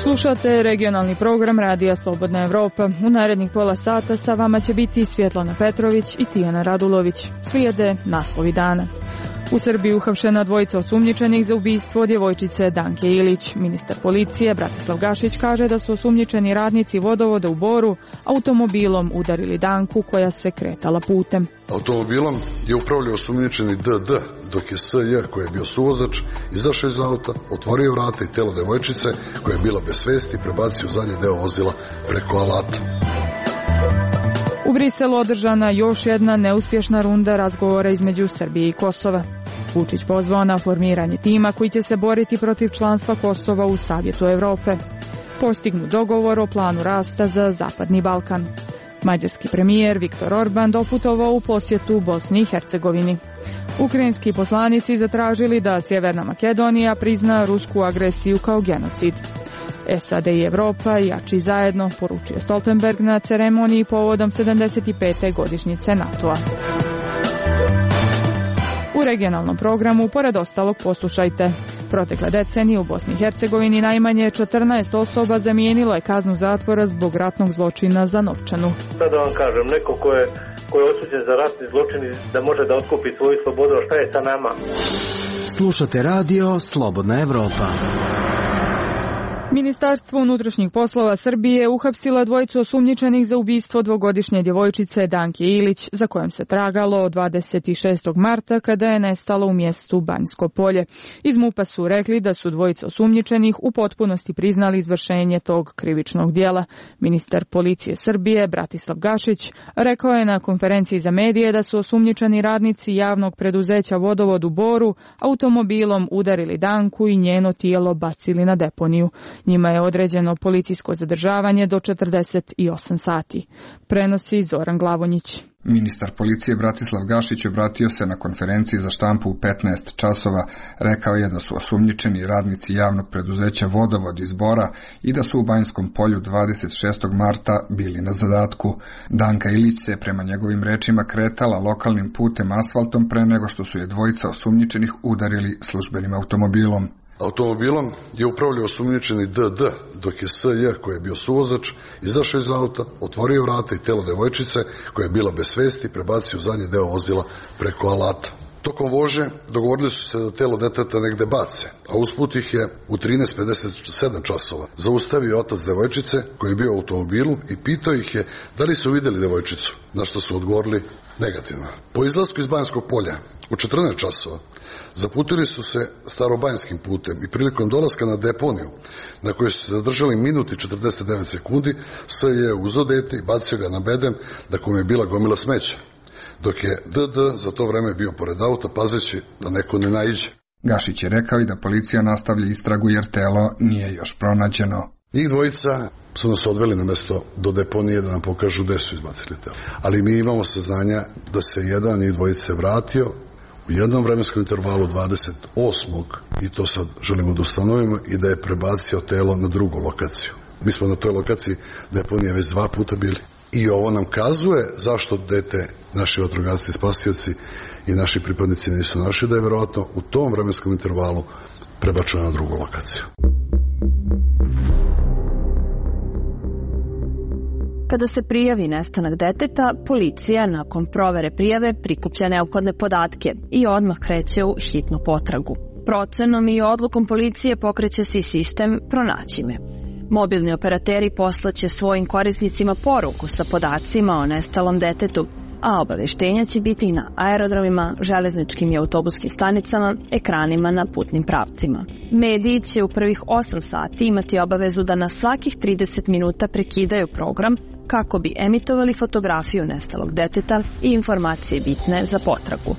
Slušate regionalni program Radija Slobodna Evropa. U narednih pola sata sa vama će biti Svjetlana Petrović i Tijana Radulović. Slijede naslovi dana. U Srbiji uhapšena dvojica osumnjičenih za ubistvo djevojčice Danke Ilić. Ministar policije Bratislav Gašić kaže da su osumnjičeni radnici vodovoda u Boru automobilom udarili Danku koja se kretala putem. Automobilom je upravljao osumnjičeni DD, dok je SJ, koji je bio suvozač, izašao iz auta, otvorio vrata i telo devojčice koja je bila bez svesti prebacio u zadnji deo vozila preko alata. U Briselu održana još jedna neuspješna runda razgovora između Srbije i Kosova. Vučić pozvao na formiranje tima koji će se boriti protiv članstva Kosova u Savjetu Evrope. Postignut dogovor o planu rasta za Zapadni Balkan. Mađarski premijer Viktor Orban doputovao u posjetu Bosni i Hercegovini. Ukrajinski poslanici zatražili da Sjeverna Makedonija prizna rusku agresiju kao genocid. SAD i Evropa jači zajedno, poručio Stoltenberg na ceremoniji povodom 75. godišnjice NATO-a. U regionalnom programu, pored ostalog, poslušajte. Protekle decenije u Bosni i Hercegovini najmanje 14 osoba zamijenilo je kaznu zatvora zbog ratnog zločina za novčanu. Sad da vam kažem, neko ko je osuđen za ratni zločin da može da otkupi svoju slobodu, a šta je sa nama? Slušate radio Slobodna Evropa. Ministarstvo unutrašnjih poslova Srbije uhapsilo dvojicu osumnjičenih za ubistvo dvogodišnje djevojčice Danke Ilić, za kojom se tragalo od 26. marta kada je nestalo u mjestu Banjsko Polje. Iz MUP-a su rekli da su dvojica osumnjičenih u potpunosti priznali izvršenje tog krivičnog dijela. Ministar policije Srbije Bratislav Gašić rekao je na konferenciji za medije da su osumnjičeni radnici javnog preduzeća Vodovod u Boru automobilom udarili Danku i njeno tijelo bacili na deponiju. Njima je određeno policijsko zadržavanje do 48 sati. Prenosi Zoran Glavonjić. Ministar policije Bratislav Gašić obratio se na konferenciji za štampu u 15 časova. Rekao je da su osumnjičeni radnici javnog preduzeća Vodovod iz Bora i da su u Banjskom Polju 26. marta bili na zadatku. Danka Ilić se prema njegovim rečima kretala lokalnim putem asfaltom pre nego što su je dvojica osumnjičenih udarili službenim automobilom. Automobilom je upravljao osumnjičeni DD, dok je SJ, koji je bio suvozač, izašao iz auta, otvorio vrata i telo devojčice koja je bila bez svesti prebacio u zadnji deo vozila preko alata. Tokom vožnje dogovorili su se da telo deteta negde bace, a usput ih je u 13:57 časova zaustavio otac devojčice koji je bio u automobilu i pitao ih je da li su vidjeli devojčicu, na što su odgovorili negativno. Po izlasku iz Banjskog Polja u 14 časova zaputili su se starobanjskim putem i prilikom dolaska na deponiju, na kojoj su se zadržali minut i 49 sekundi, S je uzeo dete i bacio ga na bedem da kome je bila gomila smeća, dok je DD za to vreme bio pored auta pazeći da neko ne naiđe. Gašić je rekao i da policija nastavlja istragu jer telo nije još pronađeno. Njih dvojica su nas odveli na mesto do deponije da nam pokažu gde su izbacili telo. Ali mi imamo saznanja da se jedan od njih dvojice vratio u jednom vremenskom intervalu 28. i to sad želimo da ustanovimo i da je prebacio telo na drugu lokaciju. Mi smo na toj lokaciji deponije već 2 puta bili. I ovo nam kazuje zašto dete naši vatrogasci, spasioci i naši pripadnici nisu našli, da je verovatno u tom vremenskom intervalu prebačeno na drugu lokaciju. Kada se prijavi nestanak deteta, policija nakon provere prijave prikuplja neophodne podatke i odmah kreće u hitnu potragu. Procenom i odlukom policije pokreće se i sistem Pronaći me. Mobilni operateri poslaće svojim korisnicima poruku sa podacima o nestalom detetu, a obaveštenja će biti i na aerodromima, železničkim i autobuskim stanicama, ekranima na putnim pravcima. Mediji će u prvih 8 sati imati obavezu da na svakih 30 minuta prekidaju program kako bi emitovali fotografiju nestalog deteta i informacije bitne za potragu.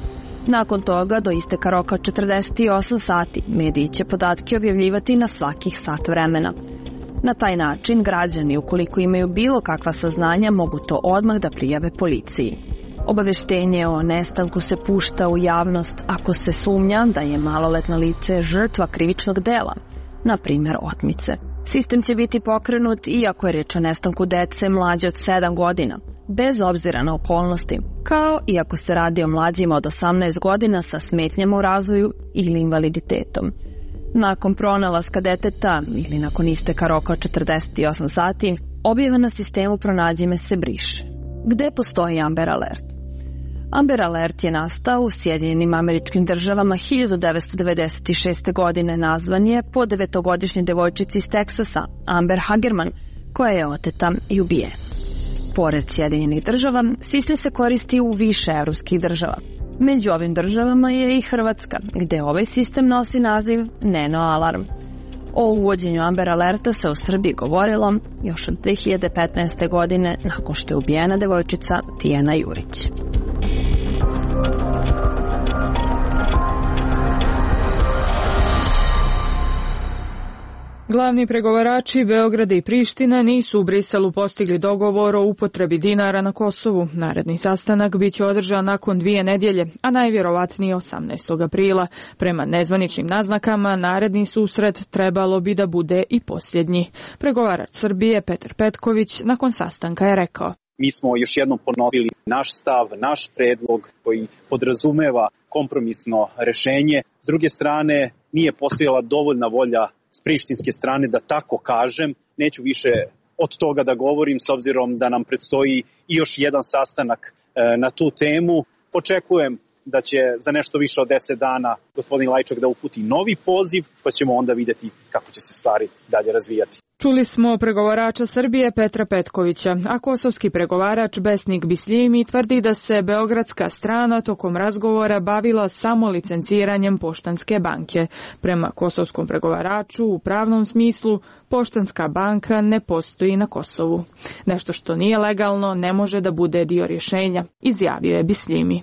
Nakon toga, do isteka roka 48 sati, mediji će podatke objavljivati na svakih sat vremena. Na taj način, građani, ukoliko imaju bilo kakva saznanja, mogu to odmah da prijave policiji. Obaveštenje o nestanku se pušta u javnost ako se sumnja da je maloletno lice žrtva krivičnog dela, na primjer otmice. Sistem će biti pokrenut i ako je reč o nestanku dece mlađe od 7 godina. bez obzira na okolnosti, kao i ako se radi o mlađima od 18 godina sa smetnjama u razvoju ili invaliditetom. Nakon pronalaska deteta ili nakon isteka roka od 48 sati, objava na sistemu Pronađi me se briše. Gde postoji Amber Alert? Amber Alert je nastao u Sjedinjenim Američkim Državama 1996. godine. Nazvan je po 9-godišnjoj devojčici iz Teksasa, Amber Hagerman, koja je oteta i ubijena. Pored Sjedinjenih Država, sistem se koristi u više evropskih država. Među ovim državama je i Hrvatska, gde ovaj sistem nosi naziv Neno Alarm. O uvođenju Amber Alerta se u Srbiji govorilo još od 2015. godine nakon što je ubijena devojčica Tijana Jurić. Glavni pregovarači Beograda i Prištine nisu u Briselu postigli dogovor o upotrebi dinara na Kosovu. Naredni sastanak biće održan nakon 2 nedjelje, a najvjerovatnije 18. aprila. Prema nezvaničnim naznakama, naredni susret trebalo bi da bude i posljednji. Pregovarač Srbije Petar Petković nakon sastanka je rekao: Mi smo još jednom ponovili naš stav, naš predlog koji podrazumeva kompromisno rešenje. S druge strane, nije postojala dovoljna volja s prištinske strane da tako kažem. Neću više od toga da govorim s obzirom da nam predstoji i još jedan sastanak na tu temu. Očekujem da će za nešto više od 10 dana gospodin Lajčak da uputi novi poziv, pa ćemo onda vidjeti kako će se stvari dalje razvijati. Čuli smo pregovarača Srbije Petra Petkovića, a kosovski pregovarač Besnik Bisljimi tvrdi da se beogradska strana tokom razgovora bavila samo licenciranjem Poštanske banke. Prema kosovskom pregovaraču, u pravnom smislu, Poštanska banka ne postoji na Kosovu. Nešto što nije legalno ne može da bude dio rješenja, izjavio je Bisljimi.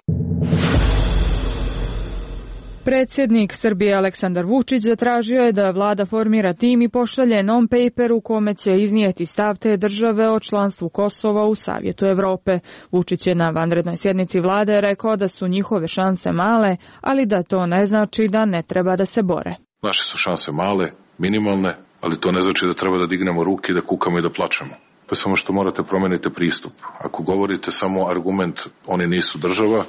Predsjednik Srbije Aleksandar Vučić zatražio je da vlada formira tim i pošalje non-paper u kome će iznijeti stav te države o članstvu Kosova u Savjetu Evrope. Vučić je na vanrednoj sjednici vlade rekao da su njihove šanse male, ali da to ne znači da ne treba da se bore. Naše su šanse male, minimalne, ali to ne znači da treba da dignemo ruke, da kukamo i da plačemo. Pa samo što morate promeniti pristup. Ako govorite samo argument oni nisu država,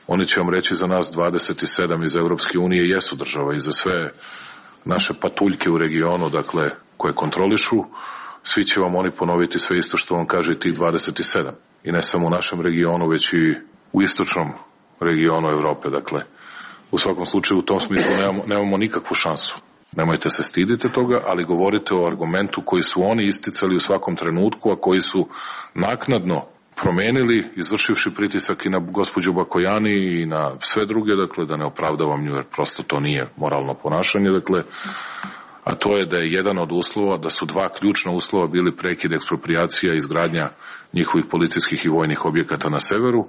oni će vam reći za nas 27 iz Evropske unije jesu država i za sve naše patuljke u regionu, dakle, koje kontrolišu, svi će vam oni ponoviti sve isto što vam kaže i tih 27. I ne samo u našem regionu, već i u istočnom regionu Evrope, dakle. U svakom slučaju, u tom smislu nemamo nikakvu šansu. Nemojte se stidite toga, ali govorite o argumentu koji su oni isticali u svakom trenutku, a koji su naknadno promenili, izvršivši pritisak i na gospođu Bakojani i na sve druge, dakle, da ne opravdavam nju, jer prosto to nije moralno ponašanje, dakle, a to je da je jedan od uslova, da su 2 ključna uslova bili prekid eksproprijacija i izgradnja njihovih policijskih i vojnih objekata na severu,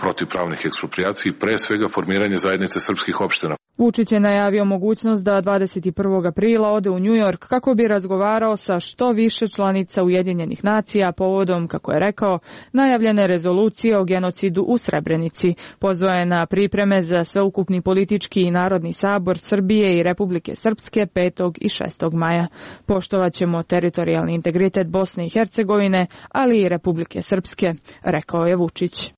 protivpravnih eksproprijacija i pre svega formiranje zajednice srpskih opština. Vučić je najavio mogućnost da 21. aprila ode u New York kako bi razgovarao sa što više članica Ujedinjenih nacija povodom, kako je rekao, najavljene rezolucije o genocidu u Srebrenici. Pozvao je na pripreme za sveukupni politički i narodni sabor Srbije i Republike Srpske 5. i 6. maja. Poštovaćemo teritorijalni integritet Bosne i Hercegovine, ali i Republike Srpske, rekao je Vučić.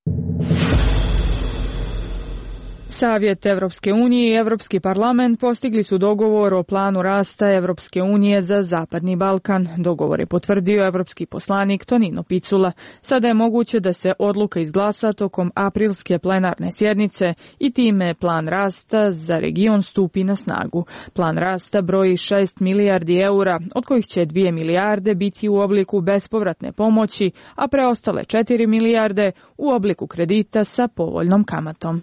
Savjet Evropske unije i Evropski parlament postigli su dogovor o planu rasta Evropske unije za Zapadni Balkan. Dogovor je potvrdio evropski poslanik Tonino Picula. Sada je moguće da se odluka izglasa tokom aprilske plenarne sjednice i time plan rasta za region stupi na snagu. Plan rasta broji 6 milijardi eura, od kojih će 2 milijarde biti u obliku bespovratne pomoći, a preostale 4 milijarde u obliku kredita sa povoljnom kamatom.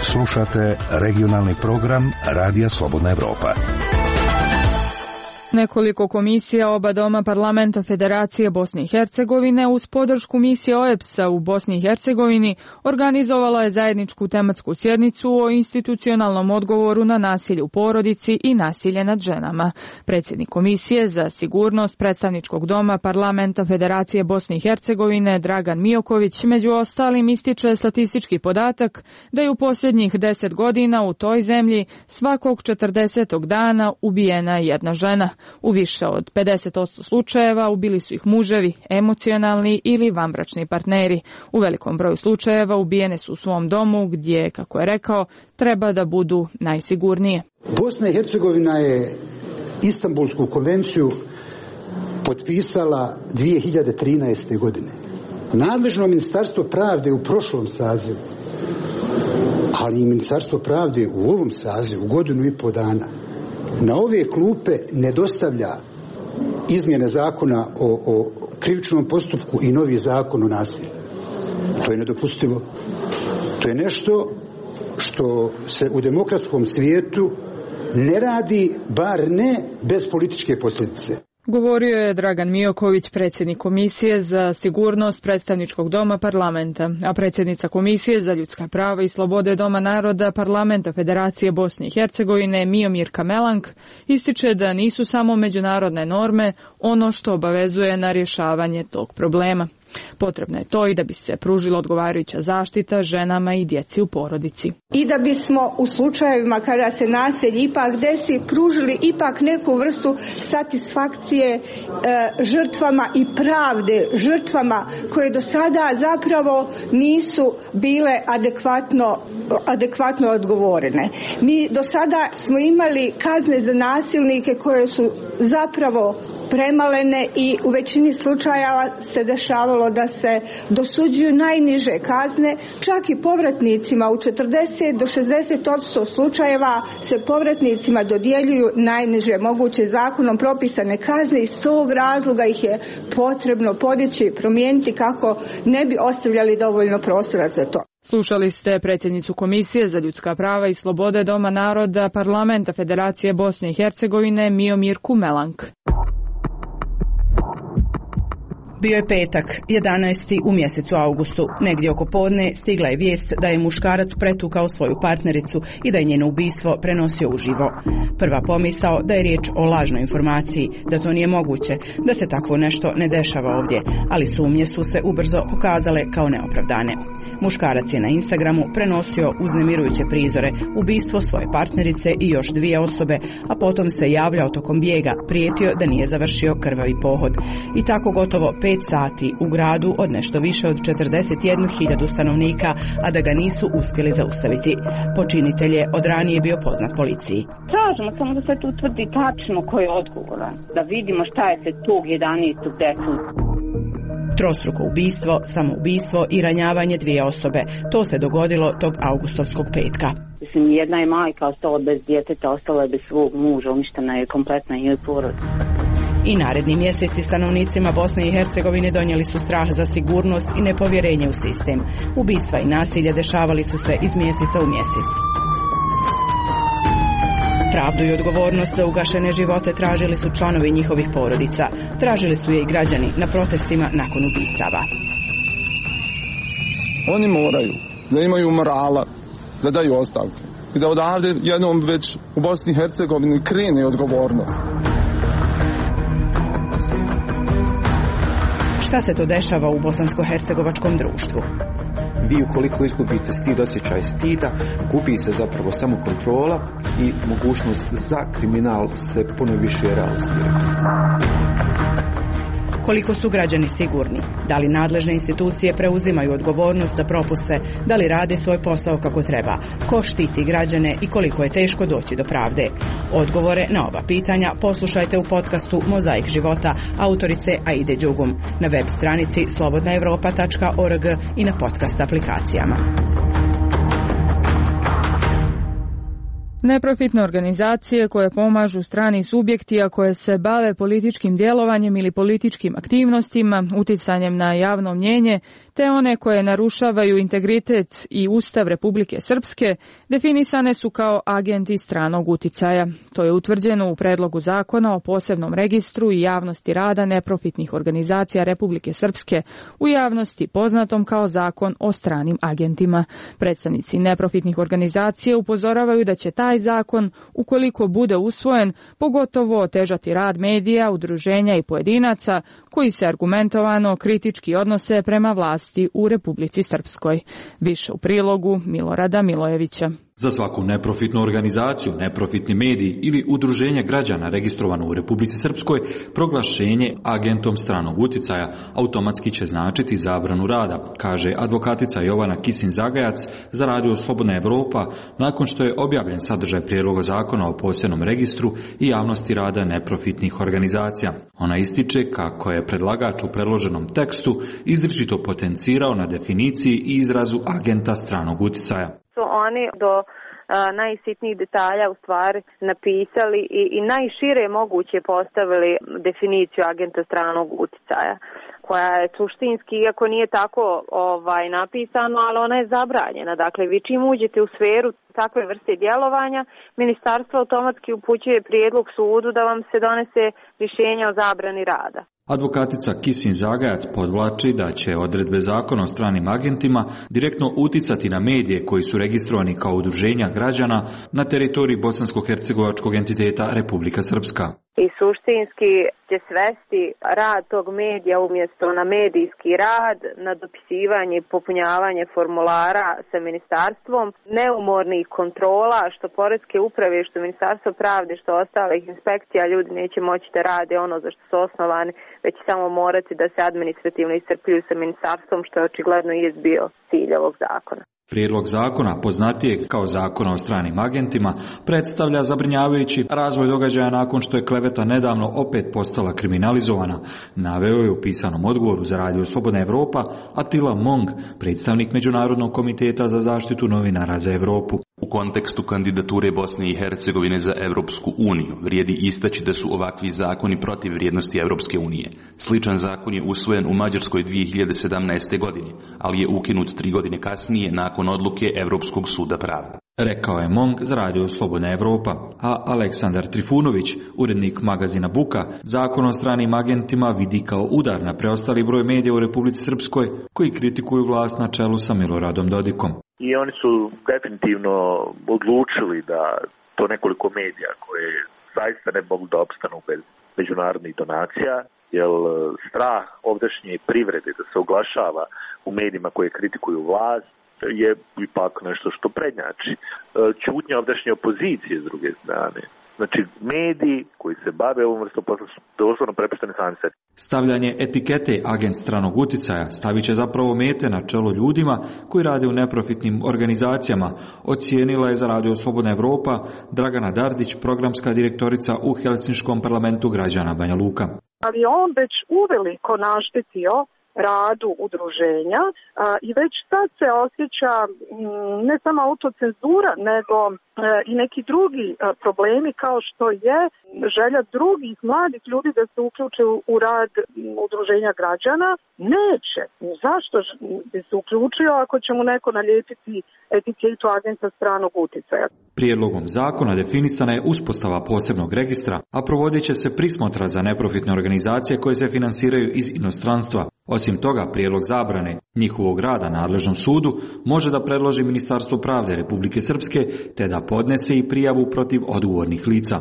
Slušate regionalni program Radija Slobodna Evropa. Nekoliko komisija oba doma parlamenta Federacije Bosne i Hercegovine uz podršku misije OEBS-a u Bosni i Hercegovini organizovala je zajedničku tematsku sjednicu o institucionalnom odgovoru na nasilje u porodici i nasilje nad ženama. Predsjednik Komisije za sigurnost predstavničkog doma parlamenta Federacije Bosne i Hercegovine Dragan Mijoković među ostalim ističe statistički podatak da je u posljednjih 10 godina u toj zemlji svakog 40. dana ubijena jedna žena. U više od 50% slučajeva ubili su ih muževi, emocionalni ili vanbračni partneri. U velikom broju slučajeva ubijene su u svom domu gdje, kako je rekao, treba da budu najsigurnije. Bosna i Hercegovina je Istanbulsku konvenciju potpisala 2013. godine. Nadležno Ministarstvo pravde u prošlom sazivu, ali i Ministarstvo pravde u ovom sazivu, godinu i po dana, na ove klupe ne dostavlja izmjene zakona o krivičnom postupku i novi zakon o nasilju. To je nedopustivo. To je nešto što se u demokratskom svijetu ne radi, bar ne bez političke posljedice. Govorio je Dragan Mioković, predsjednik Komisije za sigurnost predstavničkog doma parlamenta, a predsjednica Komisije za ljudska prava i slobode Doma naroda parlamenta Federacije Bosne i Hercegovine Miomirka Melank ističe da nisu samo međunarodne norme ono što obavezuje na rješavanje tog problema. Potrebno je to i da bi se pružila odgovarajuća zaštita ženama i djeci u porodici. I da bismo u slučajevima kada se nasilje ipak desi pružili ipak neku vrstu satisfakcije žrtvama i pravde žrtvama koje do sada zapravo nisu bile adekvatno odgovorene. Mi do sada smo imali kazne za nasilnike koje su zapravo premalene i u većini slučajeva se dešavalo da se dosuđuju najniže kazne, čak i povratnicima u 40 do 60% slučajeva se povratnicima dodjeljuju najniže moguće zakonom propisane kazne i iz tog razloga ih je potrebno podići i promijeniti kako ne bi ostavljali dovoljno prostora za to. Slušali ste predsjednicu Komisije za ljudska prava i slobode Doma naroda parlamenta Federacije Bosne i Hercegovine Miomirku Melank. Bio je petak, 11. u mjesecu augustu. Negdje oko podne stigla je vijest da je muškarac pretukao svoju partnericu i da je njeno ubistvo prenosio uživo. Prva pomisao da je riječ o lažnoj informaciji, da to nije moguće, da se takvo nešto ne dešava ovdje, ali sumnje su se ubrzo pokazale kao neopravdane. Muškarac je na Instagramu prenosio uznemirujuće prizore, ubistvo svoje partnerice i još 2 osobe, a potom se javljao tokom bijega, prijetio da nije završio krvavi pohod. I tako gotovo 5 sati u gradu od nešto više od 41.000 stanovnika, a da ga nisu uspjeli zaustaviti. Počinitelj je od ranije bio poznat policiji. Tražimo samo da se tu utvrdi tačno ko je odgovoran, da vidimo šta je se tog 11. desilo. Trostruko ubistvo, samoubistvo i ranjavanje 2 osobe. To se dogodilo tog augustovskog petka. Mislim, jedna je majka ostala bez djeteta, ostala je bez svog muža, uništena je kompletna njoj porodica. I naredni mjeseci stanovnicima Bosne i Hercegovine donijeli su strah za sigurnost i nepovjerenje u sistem. Ubistva i nasilje dešavali su se iz mjeseca u mjesec. Pravdu i odgovornost za ugašene živote tražili su članovi njihovih porodica. Tražili su je i građani na protestima nakon ubistava. Oni moraju da imaju morala, da daju ostavke i da odavde jednom već u Bosni i Hercegovini krene odgovornost. Šta se to dešava u bosansko-hercegovačkom društvu? Vi ukoliko izgubite stid, osjećaj stida, gubi se zapravo samo kontrola i mogućnost za kriminal se puno više realizira. Koliko su građani sigurni? Da li nadležne institucije preuzimaju odgovornost za propuste? Da li rade svoj posao kako treba? Ko štiti građane i koliko je teško doći do pravde? Odgovore na ova pitanja poslušajte u podcastu Mozaik života autorice Aide Đugum na web stranici slobodnaevropa.org i na podcast aplikacijama. Neprofitne organizacije koje pomažu strani subjekti, a koje se bave političkim djelovanjem ili političkim aktivnostima, uticanjem na javno mnjenje, te one koje narušavaju integritet i Ustav Republike Srpske, definisane su kao agenti stranog uticaja. To je utvrđeno u predlogu zakona o posebnom registru i javnosti rada neprofitnih organizacija Republike Srpske, u javnosti poznatom kao zakon o stranim agentima. Predstavnici neprofitnih organizacija upozoravaju da će taj zakon, ukoliko bude usvojen, pogotovo otežati rad medija, udruženja i pojedinaca koji se argumentovano kritički odnose prema vlasti u Republici Srpskoj. Više u prilogu Milorada Milojevića. Za svaku neprofitnu organizaciju, neprofitni medij ili udruženje građana registrovano u Republici Srpskoj, proglašenje agentom stranog uticaja automatski će značiti zabranu rada, kaže advokatica Jovana Kisin-Zagajac za Radio Slobodna Evropa nakon što je objavljen sadržaj prijedloga zakona o posebnom registru i javnosti rada neprofitnih organizacija. Ona ističe kako je predlagač u predloženom tekstu izričito potencirao na definiciji i izrazu agenta stranog uticaja. Oni do najsitnijih detalja u stvari napisali i najšire moguće postavili definiciju agenta stranog uticaja, koja je suštinski, iako nije tako napisano, ali ona je zabranjena. Dakle, vi čim uđete u sferu takve vrste djelovanja, ministarstvo automatski upućuje prijedlog sudu da vam se donese rješenje o zabrani rada. Advokatica Kisin-Zagajac podvlači da će odredbe zakona o stranim agentima direktno uticati na medije koji su registrovani kao udruženja građana na teritoriji bosansko-hercegovačkog entiteta Republika Srpska. I suštinski će svesti rad tog medija umjesto na medijski rad, na dopisivanje i popunjavanje formulara sa ministarstvom, neumornih kontrola, što poreske uprave, što ministarstvo pravde, što ostalih inspekcija, ljudi neće moći da rade ono za što su osnovani, već samo morati da se administrativno iscrpljuju sa ministarstvom, što je očigledno i bio cilj ovog zakona. Prijedlog zakona, poznatijeg kao zakona o stranim agentima, predstavlja zabrinjavajući razvoj događaja nakon što je kleveta nedavno opet postala kriminalizovana, naveo je u pisanom odgovoru za Radio Slobodna Evropa Attila Mong, predstavnik Međunarodnog komiteta za zaštitu novinara za Evropu. U kontekstu kandidature Bosne i Hercegovine za Evropsku uniju vrijedi istaći da su ovakvi zakoni protiv vrijednosti Evropske unije. Sličan zakon je usvojen u Mađarskoj 2017. godine, ali je ukinut 3 godine kasnije nakon odluke Evropskog suda pravde. Rekao je Mong za Radio Slobodna Evropa, a Aleksandar Trifunović, urednik magazina Buka, zakon o stranim agentima vidi kao udar na preostali broj medija u Republici Srpskoj koji kritikuju vlast na čelu sa Miloradom Dodikom. I oni su definitivno odlučili da to nekoliko medija koje zaista ne mogu da opstanu bez međunarodnih donacija, jer strah ovdašnje privrede da se oglašava u medijima koje kritikuju vlast je ipak nešto što prednjači. Ćutnja ovdašnje opozicije s druge strane. Znači, mediji koji se bave ovom vrstom posla su doslovno prepušteni sami sebi. Stavljanje etikete agent stranog uticaja stavit će zapravo mete na čelo ljudima koji rade u neprofitnim organizacijama, ocijenila je za Radio Slobodna Evropa Dragana Dardić, programska direktorica u Helsinškom parlamentu građana Banja Luka. Ali on već uveliko naštetio radu udruženja i već sad se osjeća ne samo autocenzura, nego i neki drugi problemi kao što je želja drugih mladih ljudi da se uključe u rad udruženja građana. Neće. Zašto bi se uključio ako će mu neko nalijepiti etiketu agenta stranog uticaja? Prijedlogom zakona definisana je uspostava posebnog registra, a provodit će se prismotra za neprofitne organizacije koje se finansiraju iz inostranstva. Osim toga, prijedlog zabrane njihovog rada nadležnom sudu može da predloži Ministarstvo pravde Republike Srpske te da podnese i prijavu protiv odgovornih lica.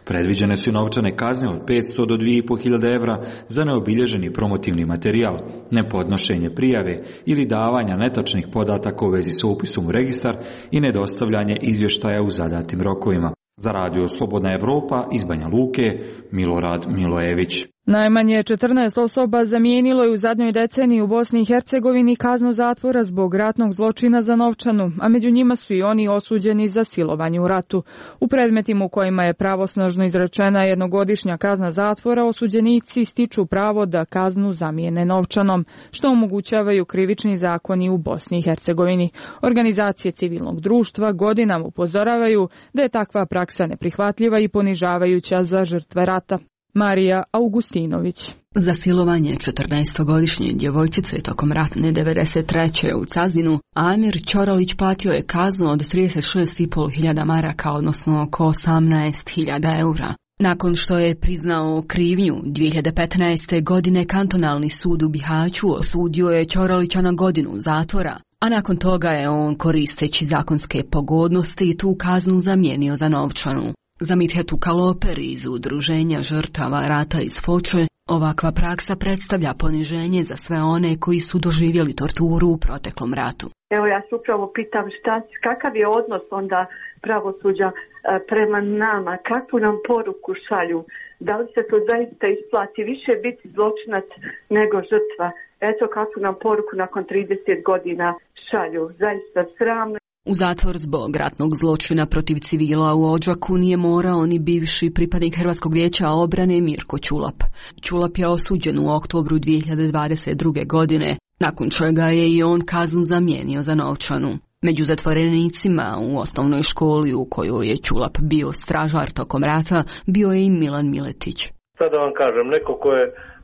Predviđene su novčane kazne od 500 do 2.500 evra za neobilježeni promotivni materijal, nepodnošenje prijave ili davanja netačnih podataka u vezi sa upisom u registar i nedostavljanje izvještaja u zadatim rokovima. Za Radio Slobodna Evropa iz Banja Luke, Milorad Milojević. Najmanje 14 osoba zamijenilo je u zadnjoj deceniji u Bosni i Hercegovini kaznu zatvora zbog ratnog zločina za novčanu, a među njima su i oni osuđeni za silovanje u ratu. U predmetima u kojima je pravosnažno izrečena jednogodišnja kazna zatvora, osuđenici stiču pravo da kaznu zamijene novčanom, što omogućavaju krivični zakoni u Bosni i Hercegovini. Organizacije civilnog društva godinama upozoravaju da je takva praksa neprihvatljiva i ponižavajuća za žrtve rata. Marija Augustinović. Za silovanje 14-godišnje djevojčice tokom ratne 93. u Cazinu, Amir Ćoralić platio je kaznu od 36.500 maraka, odnosno oko 18.000 eura. Nakon što je priznao krivnju, 2015. godine kantonalni sud u Bihaću osudio je Ćoralića na godinu zatvora, a nakon toga je on, koristeći zakonske pogodnosti, tu kaznu zamijenio za novčanu. Za Mithetu Kaloper iz Udruženja žrtava rata iz Foče, Ovakva praksa predstavlja poniženje za sve one koji su doživjeli torturu u proteklom ratu. Evo ja se upravo pitam kakav je odnos onda pravosuđa prema nama, kakvu nam poruku šalju, da li se to zaista isplati više biti zločinac nego žrtva. Eto kakvu nam poruku nakon 30 godina šalju, zaista sramno. U zatvor zbog ratnog zločina protiv civila u Odžaku nije morao ni bivši pripadnik Hrvatskog vijeća obrane Mirko Ćulap. Ćulap je osuđen u oktobru 2022. godine, nakon čega je i on kaznu zamijenio za novčanu. Među zatvorenicima u osnovnoj školi u kojoj je Ćulap bio stražar tokom rata bio je i Milan Miletić. Sad da vam kažem, neko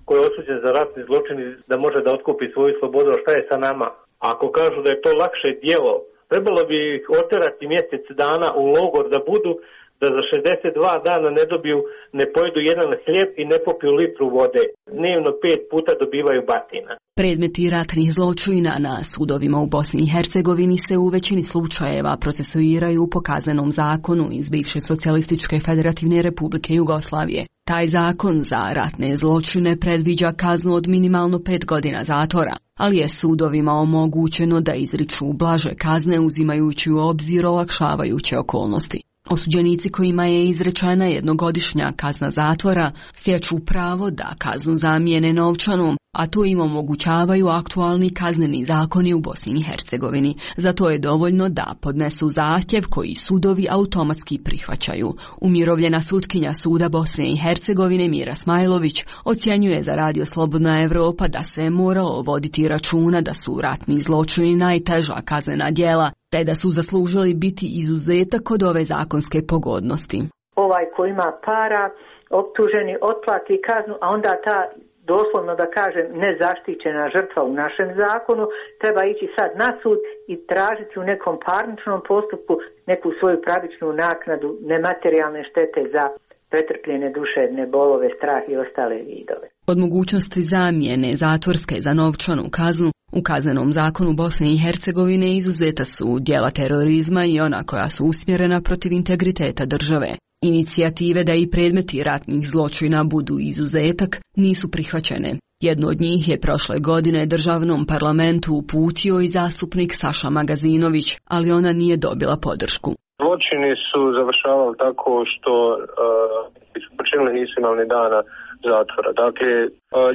ko je osuđen za ratni zločin da može da otkupi svoju slobodu, šta je sa nama? Ako kažu da je to lakše djelo, trebalo bi ih oterati mjesec dana u logor da za 62 dana ne dobiju, ne pojedu jedan hljeb i ne popiju litru vode. Dnevno 5 puta dobivaju batina. Predmeti ratnih zločina na sudovima u Bosni i Hercegovini se u većini slučajeva procesuiraju po kaznenom zakonu iz bivše Socijalističke Federativne Republike Jugoslavije. Taj zakon za ratne zločine predviđa kaznu od minimalno 5 godina zatvora, ali je sudovima omogućeno da izriču blaže kazne uzimajući u obzir olakšavajuće okolnosti. Osuđenici kojima je izrečena jednogodišnja kazna zatvora stječu pravo da kaznu zamijene novčanom, a to im omogućavaju aktualni kazneni zakoni u Bosni i Hercegovini. Zato je dovoljno da podnesu zahtjev koji sudovi automatski prihvaćaju. Umirovljena sutkinja suda Bosne i Hercegovine Mira Smajlović ocjenjuje za Radio Slobodna Evropa da se moralo voditi računa da su ratni zločini najteža kaznena djela, te da su zaslužili biti izuzetak od ove zakonske pogodnosti. Ovaj ko ima para, optuženi, otplati kaznu, a onda ta, doslovno da kažem, nezaštićena žrtva u našem zakonu treba ići sad na sud i tražiti u nekom parničnom postupku neku svoju pravičnu naknadu nematerijalne štete za pretrpljene duševne bolove, strah i ostale vidove. Od mogućnosti zamjene zatvorske za novčanu kaznu u kaznenom zakonu Bosne i Hercegovine izuzeta su djela terorizma i ona koja su usmjerena protiv integriteta države. Inicijative da i predmeti ratnih zločina budu izuzetak nisu prihvaćene. Jedno od njih je prošle godine državnom parlamentu uputio i zastupnik Saša Magazinović, ali ona nije dobila podršku. Zločini su završavali tako što su počinili nisu imali ni dana zatvora. Dakle,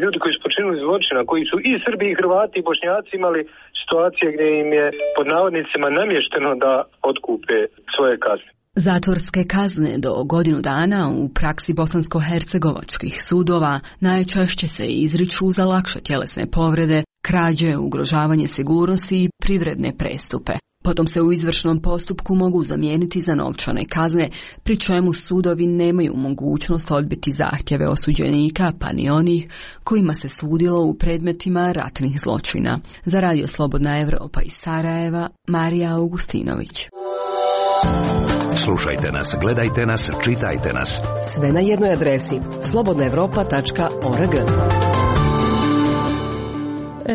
ljudi koji su počinili zločina, koji su i Srbi, i Hrvati, i Bošnjaci imali situacije gdje im je pod navodnicima namješteno da otkupe svoje kazne. Zatvorske kazne do godinu dana u praksi bosansko-hercegovačkih sudova najčešće se izriču za lakše tjelesne povrede, krađe, ugrožavanje sigurnosti i privredne prestupe. Potom se u izvršnom postupku mogu zamijeniti za novčane kazne, pri čemu sudovi nemaju mogućnost odbiti zahtjeve osuđenika, pa ni onih kojima se sudilo u predmetima ratnih zločina. Za Radio Slobodna Evropa iz Sarajeva, Marija Augustinović. Slušajte nas, gledajte nas, čitajte nas. Sve na jednoj adresi slobodnaevropa.org.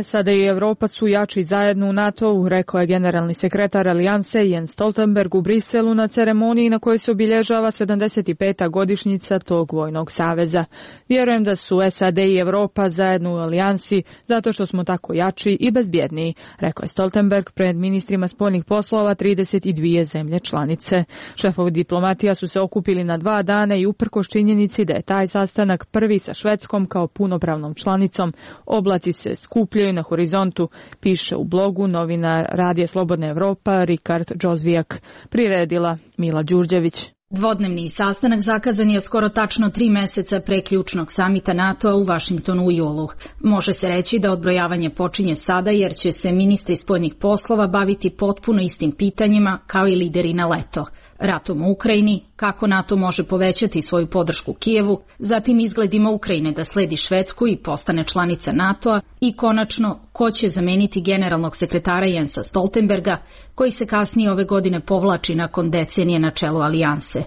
SAD i Evropa su jači zajedno u NATO-u, rekao je generalni sekretar Alijanse Jens Stoltenberg u Briselu na ceremoniji na kojoj se obilježava 75. godišnjica tog vojnog saveza. Vjerujem da su SAD i Evropa zajedno u Alijansi zato što smo tako jači i bezbjedniji, rekao je Stoltenberg pred ministrima spoljnih poslova 32 zemlje članice. Šefovi diplomatija su se okupili na 2 dana i uprkos činjenici da je taj sastanak prvi sa Švedskom kao punopravnom članicom, oblaci se skupljaju na horizontu, piše u blogu novinar Radija Slobodna Evropa Rikard Džozvijak. Priredila Mila Đurđević. Dvodnevni sastanak zakazan je skoro tačno 3 mjeseca pre ključnog samita NATO-a u Vašingtonu u julu. Može se reći da odbrojavanje počinje sada jer će se ministri spoljnih poslova baviti potpuno istim pitanjima kao i lideri na leto. Ratom u Ukrajini, kako NATO može povećati svoju podršku Kijevu, zatim izgledima Ukrajine da sledi Švedsku i postane članica NATO-a i konačno ko će zameniti generalnog sekretara Jensa Stoltenberga, koji se kasnije ove godine povlači nakon decenije na čelu Alijanse.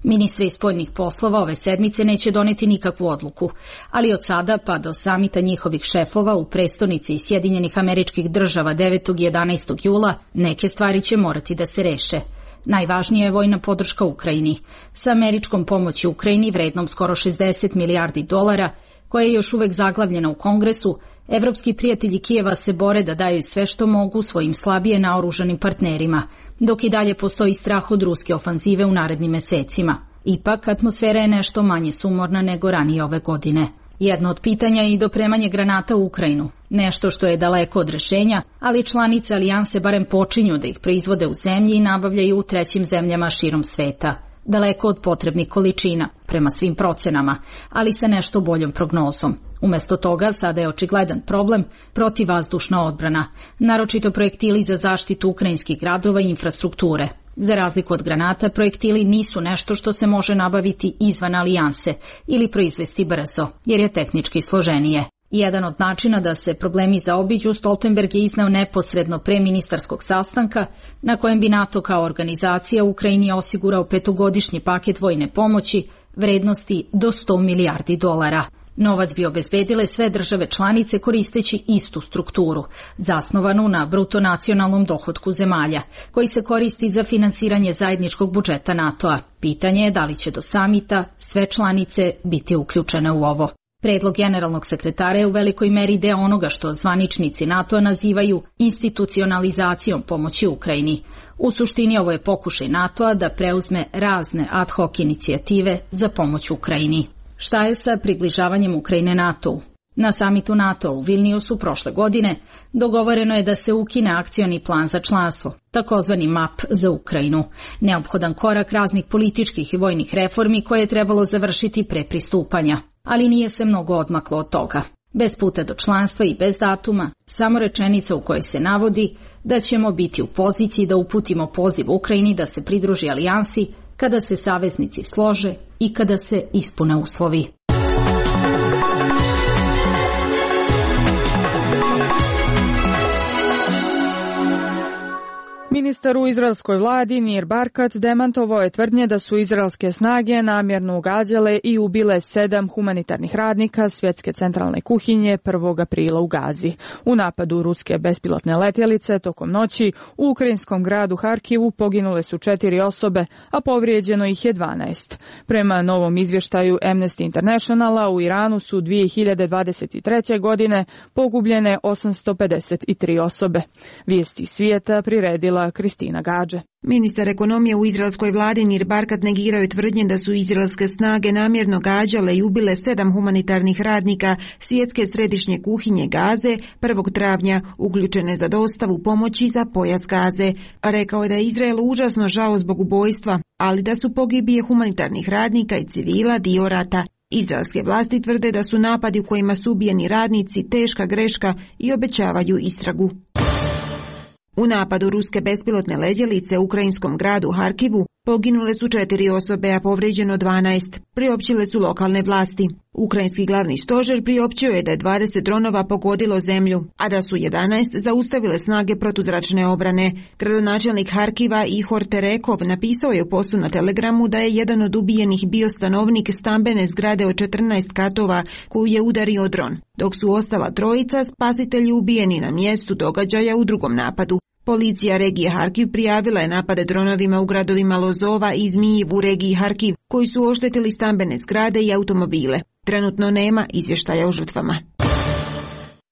Ministri spoljnih poslova ove sedmice neće doneti nikakvu odluku, ali od sada pa do samita njihovih šefova u prestonici Sjedinjenih Američkih Država 9. i 11. jula neke stvari će morati da se reše. Najvažnija je vojna podrška Ukrajini. Sa američkom pomoći Ukrajini vrednom skoro $60 milijardi, koja je još uvek zaglavljena u Kongresu, evropski prijatelji Kijeva se bore da daju sve što mogu svojim slabije naoružanim partnerima, dok i dalje postoji strah od ruske ofanzive u narednim mesecima. Ipak, atmosfera je nešto manje sumorna nego ranije ove godine. Jedno od pitanja je i dopremanje granata u Ukrajinu, nešto što je daleko od rešenja, ali članice alijanse barem počinju da ih proizvode u zemlji i nabavljaju u trećim zemljama širom sveta. Daleko od potrebnih količina, prema svim procenama, ali sa nešto boljom prognozom. Umesto toga, sada je očigledan problem protivvazdušna odbrana, naročito projektili za zaštitu ukrajinskih gradova i infrastrukture. Za razliku od granata, projektili nisu nešto što se može nabaviti izvan alijanse ili proizvesti brzo, jer je tehnički složenije. Jedan od načina da se problemi zaobiđu Stoltenberg je izneo neposredno pre ministarskog sastanka, na kojem bi NATO kao organizacija Ukrajini osigurao 5-godišnji paket vojne pomoći vrednosti do $100 milijardi. Novac bi obezbedile sve države članice koristeći istu strukturu, zasnovanu na bruto nacionalnom dohotku zemalja, koji se koristi za finansiranje zajedničkog budžeta NATO-a. Pitanje je da li će do samita sve članice biti uključene u ovo. Predlog generalnog sekretara je u velikoj meri deo onoga što zvaničnici NATO nazivaju institucionalizacijom pomoći Ukrajini. U suštini ovo je pokušaj NATO-a da preuzme razne ad hoc inicijative za pomoć Ukrajini. Šta je sa približavanjem Ukrajine NATO-u? Na samitu NATO u Vilniusu prošle godine dogovoreno je da se ukine akcioni plan za članstvo, takozvani MAP za Ukrajinu, neophodan korak raznih političkih i vojnih reformi koje je trebalo završiti pre pristupanja. Ali nije se mnogo odmaklo od toga. Bez puta do članstva i bez datuma, samo rečenica u kojoj se navodi da ćemo biti u poziciji da uputimo poziv Ukrajini da se pridruži alijansi kada se saveznici slože i kada se ispune uslovi. Ministar u izraelskoj vladi Nir Barkat demantovao je tvrdnje da su izraelske snage namjerno ugađale i ubile 7 humanitarnih radnika svjetske centralne kuhinje 1. aprila u Gazi. U napadu ruske bespilotne letjelice tokom noći u ukrajinskom gradu Harkivu poginule su 4 osobe, a povrijeđeno ih je 12. Prema novom izvještaju Amnesty Internationala u Iranu su 2023. godine pogubljene 853 osobe. Vijesti svijeta priredila Kristina Gađe. Ministar ekonomije u izraelskoj vladi Nir Barkat negirao je tvrdnje da su izraelske snage namjerno gađale i ubile 7 humanitarnih radnika svjetske središnje kuhinje Gaze 1. travnja uključene za dostavu pomoći za pojas Gaze. Rekao je da je Izraelu užasno žao zbog ubojstva, ali da su pogibije humanitarnih radnika i civila dio rata. Izraelske vlasti tvrde da su napadi u kojima su ubijeni radnici teška greška i obećavaju istragu. U napadu ruske bespilotne letjelice u ukrajinskom gradu Harkivu poginule su 4 osobe, a povrijeđeno 12, priopćile su lokalne vlasti. Ukrajinski glavni stožer priopćio je da je 20 dronova pogodilo zemlju, a da su 11 zaustavile snage protuzračne obrane. Gradonačelnik Harkiva Ihor Terekov napisao je u postu na Telegramu da je jedan od ubijenih bio stanovnik stambene zgrade od 14 katova koju je udario dron, dok su ostala 3 spasitelji ubijeni na mjestu događaja u drugom napadu. Policija regije Harkiv prijavila je napade dronovima u gradovima Lozova i Zmijiv u regiji Harkiv, koji su oštetili stambene zgrade i automobile. Trenutno nema izvještaja o žrtvama.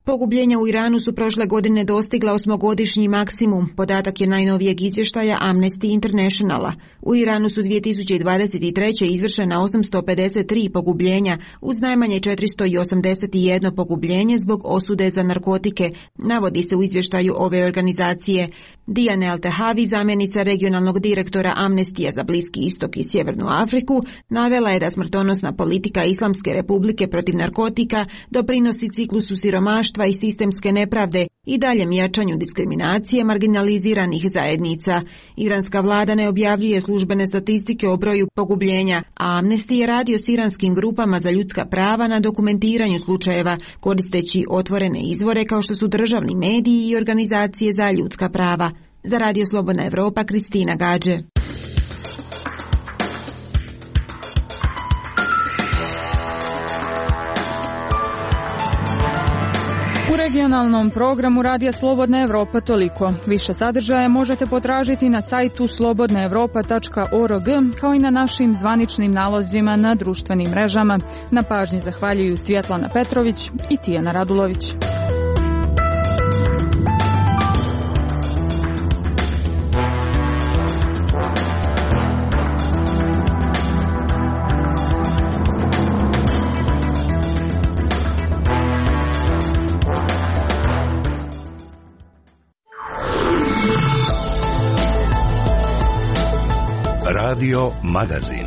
Pogubljenja u Iranu su prošle godine dostigla 8-godišnji maksimum, podatak je najnovijeg izvještaja Amnesty Internationala. U Iranu su 2023. izvršena 853 pogubljenja, uz najmanje 481 pogubljenje zbog osude za narkotike, navodi se u izvještaju ove organizacije. Diane Al-Tehavi, zamjenica regionalnog direktora Amnestija za Bliski istok i Sjevernu Afriku, navela je da smrtonosna politika Islamske republike protiv narkotika doprinosi ciklusu siromaštva i sistemske nepravde i daljem jačanju diskriminacije marginaliziranih zajednica. Iranska vlada ne objavljuje službene statistike o broju pogubljenja, a Amnesty je radio s iranskim grupama za ljudska prava na dokumentiranju slučajeva, koristeći otvorene izvore kao što su državni mediji i organizacije za ljudska prava. Za Radio Slobodna Evropa, Kristina Gađe. U regionalnom programu Radija Slobodna Evropa toliko. Više sadržaja možete potražiti na sajtu slobodnaevropa.org kao i na našim zvaničnim nalozima na društvenim mrežama. Na pažnji zahvaljuju Svjetlana Petrović i Tijana Radulović. Radio Magazin.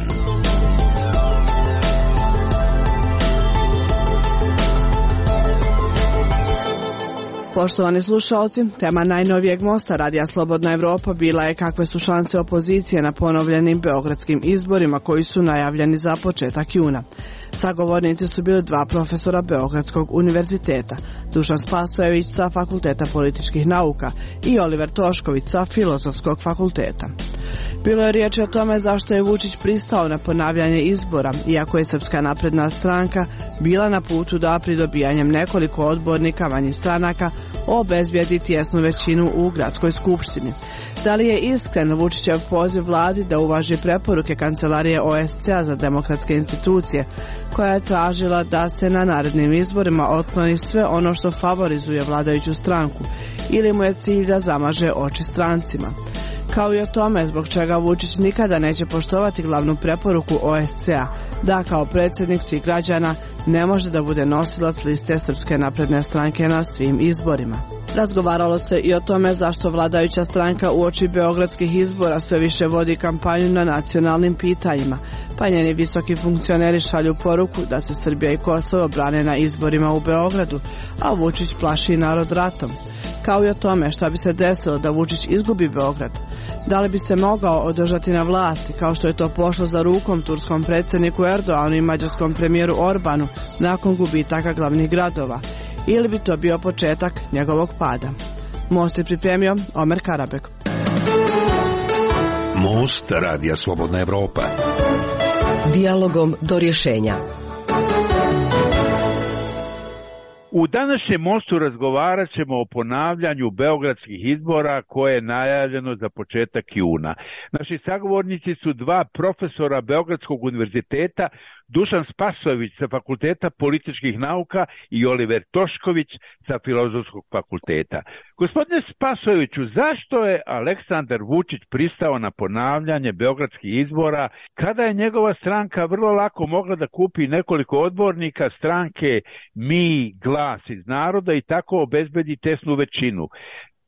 Poštovani slušalci, tema najnovijeg mosta Radija Slobodna Evropa bila je kakve su šanse opozicije na ponovljenim beogradskim izborima koji su najavljeni za početak juna. Sagovornici su bili dva profesora Beogradskog univerziteta, Dušan Spasojević sa Fakulteta političkih nauka i Oliver Tošković sa Filozofskog fakulteta. Bilo je riječi o tome zašto je Vučić pristao na ponavljanje izbora, iako je Srpska napredna stranka bila na putu da pridobijanjem nekoliko odbornika manjih stranaka obezbijedi tjesnu većinu u gradskoj skupštini. Da li je iskren Vučićev poziv vladi da uvaži preporuke Kancelarije OSCE-a za demokratske institucije, koja je tražila da se na narednim izborima otkloni sve ono što favorizuje vladajuću stranku, ili mu je cilj da zamaže oči strancima? Kao i o tome zbog čega Vučić nikada neće poštovati glavnu preporuku OSCE-a, da kao predsjednik svih građana ne može da bude nosilac liste Srpske napredne stranke na svim izborima. Razgovaralo se i o tome zašto vladajuća stranka uoči beogradskih izbora sve više vodi kampanju na nacionalnim pitanjima, pa njeni visoki funkcioneri šalju poruku da se Srbija i Kosovo brane na izborima u Beogradu, a Vučić plaši narod ratom. Kao i o tome šta bi se desilo da Vučić izgubi Beograd. Da li bi se mogao održati na vlasti kao što je to pošlo za rukom turskom predsjedniku Erdoanu i mađarskom premijeru Orbanu nakon gubitaka glavnih gradova, ili bi to bio početak njegovog pada? Most je pripremio Omer Karabek. Most Radija Slobodna Evropa. Dijalogom do rješenja. U današnjem mostu razgovarat ćemo o ponavljanju beogradskih izbora koje je najavljeno za početak juna. Naši sagovornici su dva profesora Beogradskog univerziteta, Dušan Spasojević sa Fakulteta političkih nauka i Oliver Tošković sa Filozofskog fakulteta. Gospodine Spasojeviću, zašto je Aleksandar Vučić pristao na ponavljanje beogradskih izbora kada je njegova stranka vrlo lako mogla da kupi nekoliko odbornika stranke Mi, Glas iz naroda i tako obezbedi tesnu većinu?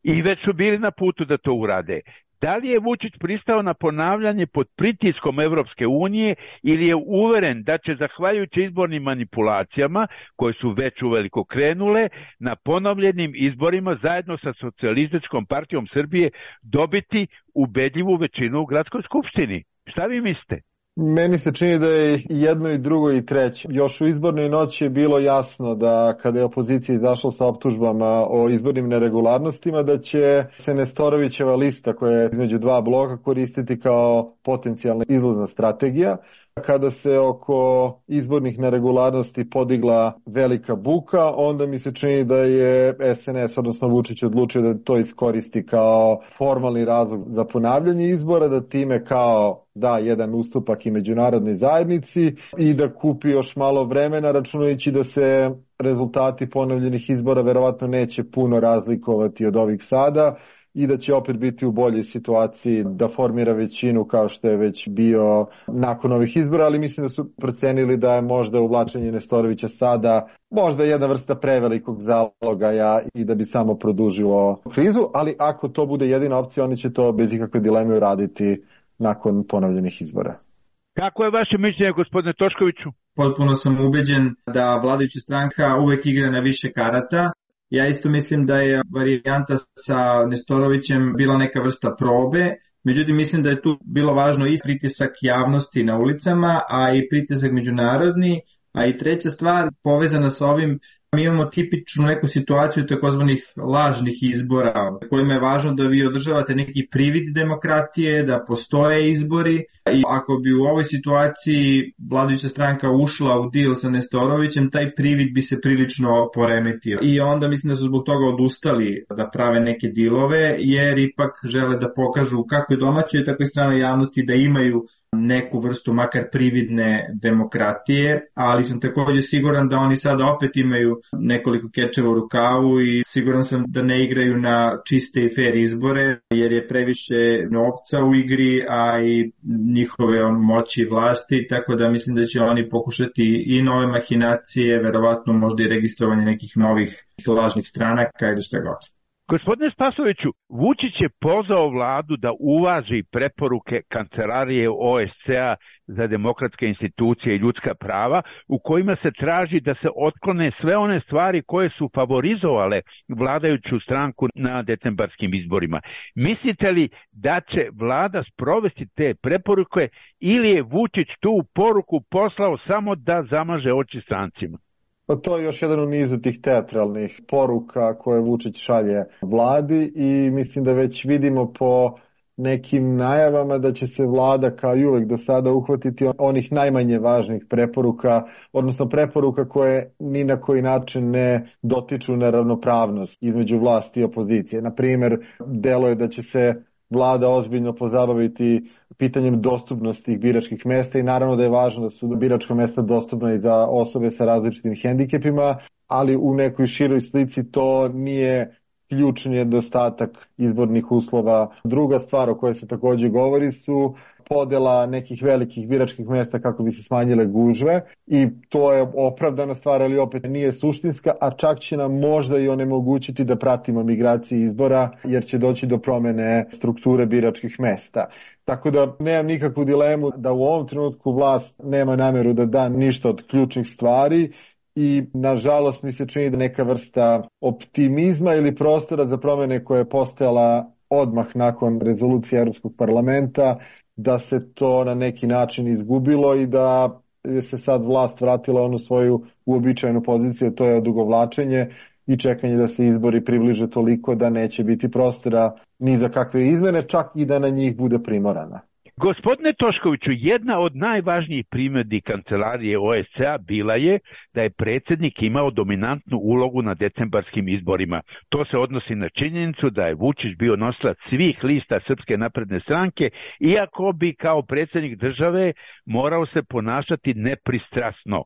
I već su bili na putu da to urade. Da li je Vučić pristao na ponavljanje pod pritiskom Evropske unije ili je uveren da će, zahvaljujući izbornim manipulacijama, koje su već uveliko krenule, na ponovljenim izborima zajedno sa Socijalističkom partijom Srbije dobiti ubedljivu većinu u gradskoj skupštini? Šta vi mislite? Meni se čini da je jedno i drugo i treće. Još u izbornoj noći je bilo jasno da kada je opozicija izašla sa optužbama o izbornim neregularnostima, da će se Nestorovićeva lista koja je između dva bloka koristiti kao potencijalna izlazna strategija. Kada se oko izbornih neregularnosti podigla velika buka, onda mi se čini da je SNS, odnosno Vučić, odlučio da to iskoristi kao formalni razlog za ponavljanje izbora, da time kao da jedan ustupak i međunarodnoj zajednici i da kupi još malo vremena, računajući da se rezultati ponovljenih izbora verovatno neće puno razlikovati od ovih sada i da će opet biti u boljoj situaciji da formira većinu kao što je već bio nakon ovih izbora, ali mislim da su procenili da je možda uvlačenje Nestorovića sada možda jedna vrsta prevelikog zalogaja i da bi samo produžilo krizu, ali ako to bude jedina opcija, oni će to bez ikakve dileme uraditi nakon ponovljenih izbora. Kako je vaše mišljenje, gospodine Toškoviću? Potpuno sam ubeđen da vladajuća stranka uvek igra na više karata. Ja isto mislim da je varijanta sa Nestorovićem bila neka vrsta probe, međutim mislim da je tu bilo važno i pritisak javnosti na ulicama, a i pritisak međunarodni, a i treća stvar povezana sa ovim Mi imamo tipičnu neku situaciju takozvanih lažnih izbora, kojima je važno da vi održavate neki privid demokratije, da postoje izbori i ako bi u ovoj situaciji vladajuća stranka ušla u deal sa Nestorovićem, taj privid bi se prilično poremetio. I onda mislim da su zbog toga odustali da prave neke dealove, jer ipak žele da pokažu kako je domaće, tako i strane javnosti da imaju neku vrstu makar prividne demokratije, ali sam također siguran da oni sada opet imaju nekoliko kečeva u rukavu i siguran sam da ne igraju na čiste i fair izbore, jer je previše novca u igri, a i njihove moći i vlasti, tako da mislim da će oni pokušati i nove mahinacije, verovatno možda i registrovanje nekih novih lažnih stranaka ili šta god. Gospodine Spasoviću, Vučić je pozvao vladu da uvaži preporuke Kancelarije OSCE-a za demokratske institucije i ljudska prava, u kojima se traži da se otklone sve one stvari koje su favorizovale vladajuću stranku na decembarskim izborima. Mislite li da će vlada sprovesti te preporuke ili je Vučić tu poruku poslao samo da zamaže oči strancima? Pa to je još jedan u nizu tih teatralnih poruka koje Vučić šalje vladi i mislim da već vidimo po nekim najavama da će se vlada kao i uvek do sada uhvatiti onih najmanje važnih preporuka, odnosno preporuka koje ni na koji način ne dotiču na ravnopravnost između vlasti i opozicije. Na primjer, delo je da će se vlada ozbiljno pozabaviti pitanjem dostupnosti biračkih mesta i naravno da je važno da su biračka mesta dostupna i za osobe sa različitim hendikepima, ali u nekoj široj slici to nije ključni nedostatak izbornih uslova. Druga stvar o kojoj se također govori su podela nekih velikih biračkih mesta kako bi se smanjile gužve i to je opravdana stvar, ali opet nije suštinska, a čak će nam možda i onemogućiti da pratimo migracije izbora jer će doći do promjene strukture biračkih mesta. Tako da nemam nikakvu dilemu da u ovom trenutku vlast nema namjeru da da ništa od ključnih stvari i nažalost mi se čini da neka vrsta optimizma ili prostora za promjene koja je postojala odmah nakon rezolucije Europskog parlamenta, da se to na neki način izgubilo i da se sad vlast vratila onu svoju uobičajenu poziciju, to je odugovlačenje i čekanje da se izbori približe toliko da neće biti prostora ni za kakve izmene, čak i da na njih bude primorana. Gospodine Toškoviću, jedna od najvažnijih primjedbi Kancelarije OSCE-a bila je da je predsjednik imao dominantnu ulogu na decembarskim izborima. To se odnosi na činjenicu da je Vučić bio nosilac svih lista Srpske napredne stranke, iako bi kao predsjednik države morao se ponašati nepristrasno.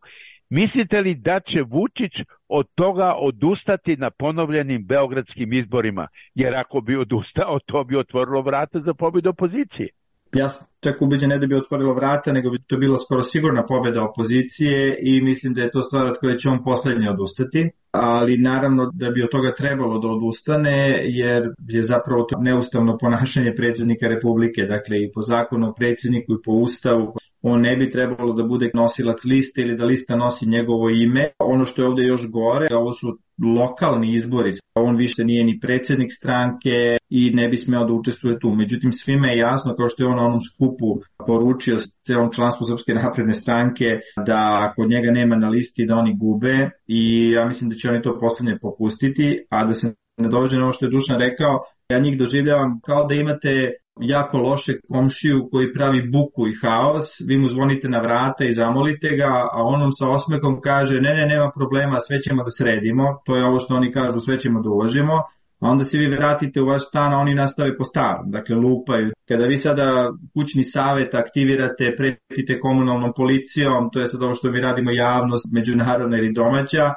Mislite li da će Vučić od toga odustati na ponovljenim beogradskim izborima? Jer ako bi odustao, to bi otvorilo vrata za pobjedu opozicije. Ja sam čak ubeđen ne da bi otvorilo vrata, nego bi to bilo skoro sigurna pobjeda opozicije i mislim da je to stvar od koje će on posljednje odustati, ali naravno da bi od toga trebalo da odustane jer je zapravo to neustavno ponašanje predsjednika Republike, dakle i po zakonu o predsjedniku i po ustavu on ne bi trebalo da bude nosilac liste ili da lista nosi njegovo ime. Ono što je ovdje još gore, ovo su lokalni izbori, on više nije ni predsjednik stranke i ne bi smeo da učestvuje tu. Međutim, svima je jasno, kao što je on na onom skupu poručio celom članstvu Srpske napredne stranke, da ako njega nema na listi da oni gube i ja mislim da će oni to posljednje popustiti, a da se ne dođe na ovo što je Dušan rekao, ja njih doživljavam kao da imate jako loše komšiju koji pravi buku i haos, vi mu zvonite na vrata i zamolite ga, a on vam sa osmehom kaže ne, nema problema, sve ćemo da sredimo, to je ovo što oni kažu, sve ćemo da uvažimo, a onda se vi vratite u vaš stan, a oni nastave po starom, dakle lupaju. Kada vi sada kućni savjet aktivirate, pretite komunalnom policijom, to je sad ovo što mi radimo javnost, međunarodna ili domaća,